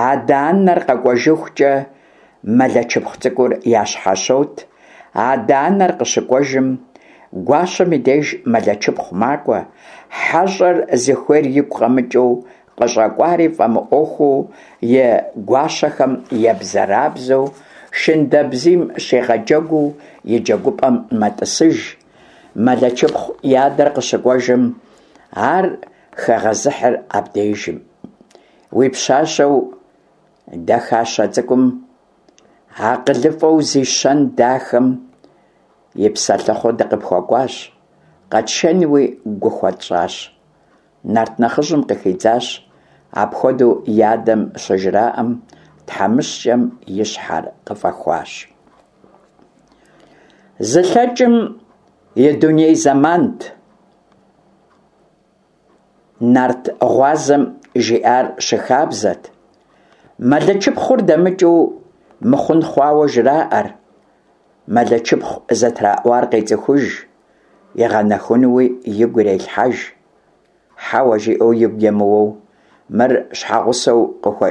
адэ-анэр къэкӏуэжыхукӏэ, Мэлэчыпхъу цӏыкӏур ящхьэщот, адэ-анэр къыщыкӏуэжым, гуащэм и деж Мэлэчыпхъу макӏуэ, хьэщӏэр зыхуейр игу къэмыкӏыу, къыщӏэкӏуари фӏэмыӏуэхуу, и гуащэхэм ебзэрабзэу, шындэбзийм щигъэджэгуу и джэгупӏэм мэтӏысыж. Мэлэчыпхъу и адэр къыщыкӏуэжым, ар хегъэзыхьыр абдежым. Уи пщащэу дахащэ цӏыкӏум, акъылыфӏэу зи щэн дахэм и псэлъыхъуу дыкъыпхуэкӏуащ, къэтшэнуи гу хуэтщӏащ. Нарт нэхъыжьым къыхидзащ, апхуэдэу и адэм щыжраӏэм, тхьэмыщкӏэм и щхьэр къыфӏэхуащ. Зылъэкӏым и дуней зэмант. Нарт гъуазэм жиӏар щыхабзэт. Мэлэчыпхъур дэмыкӏыу мыхъун хъуауэ жраӏэр. Мэлэчыпхъу зэтраӏуар къецӏыхуж, игъэнэхунуи игу ирелъхьэж. Хьэуэ жиӏэу игу емыуэу, мыр щхьэгъусэу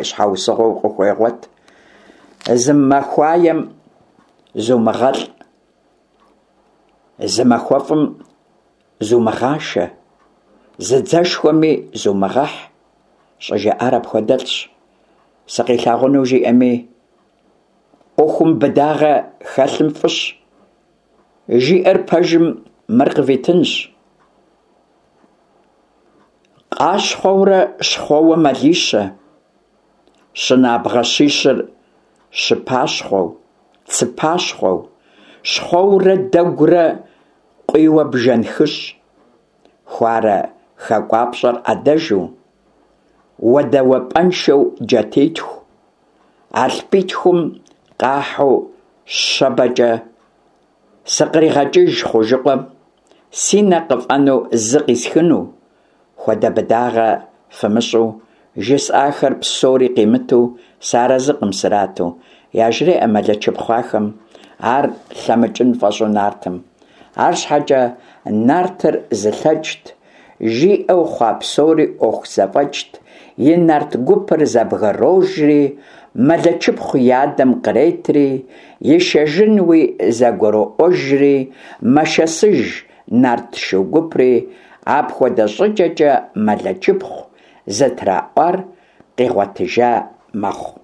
щхьэусыгъуэу къыхуегъуэт. Зы махуаем зумыгъэлӏ, зы махуэфӏым зумыгъашэ, зы дзэшхуэми зумыгъэхь, щӏыжаӏар апхуэдэлӏщ. Сыкъилъагъуну жиӏэми, ӏуэхум быдагъэ хэлъым фӏыщ. Жиӏэр пэжым мыр къывитынщ. Къащхъуэурэ щхъуэуэ мэлищэ, щынабгъэ щищыр щыпащхъуэу, цыпащхъуэу, щхъуэурэ дэгурэ къуийуэ бжэн хыщӏ, хуарэ хакӏуапщӏэр ӏэдэжу, уэдэуэпӏэншэу джатитху, алъпитхум къахьу щэбэкӏэ сыкъригъэкӏыж хъужыкъуэм, си нэ къыфӏэнэу зы къисхыну, хуэдэ быдагъэ фымыщӏу, жысӏахэр псори къимыту, сыарэзыкъым срату, яжреӏэ Мэлэчыпхъу ахэм, ар лъэмыкӏын фӏэщӏу нартым. Арщхьэкӏэ нартыр зылъэкӏт, жиӏэу хъуа псори ӏуэху зэфӏэкӏт, и нарт гупыр зэбгрожри, Мэлэчыпхъу и адэм къретри, ишэжынуи зэгуроӏуэжри, мэшэсыж нарт шу гупри, апхуэдэ щӏыкӏэкӏэ Мэлэчыпхъу зытраӏуар къигъуэтыжа мэхъу.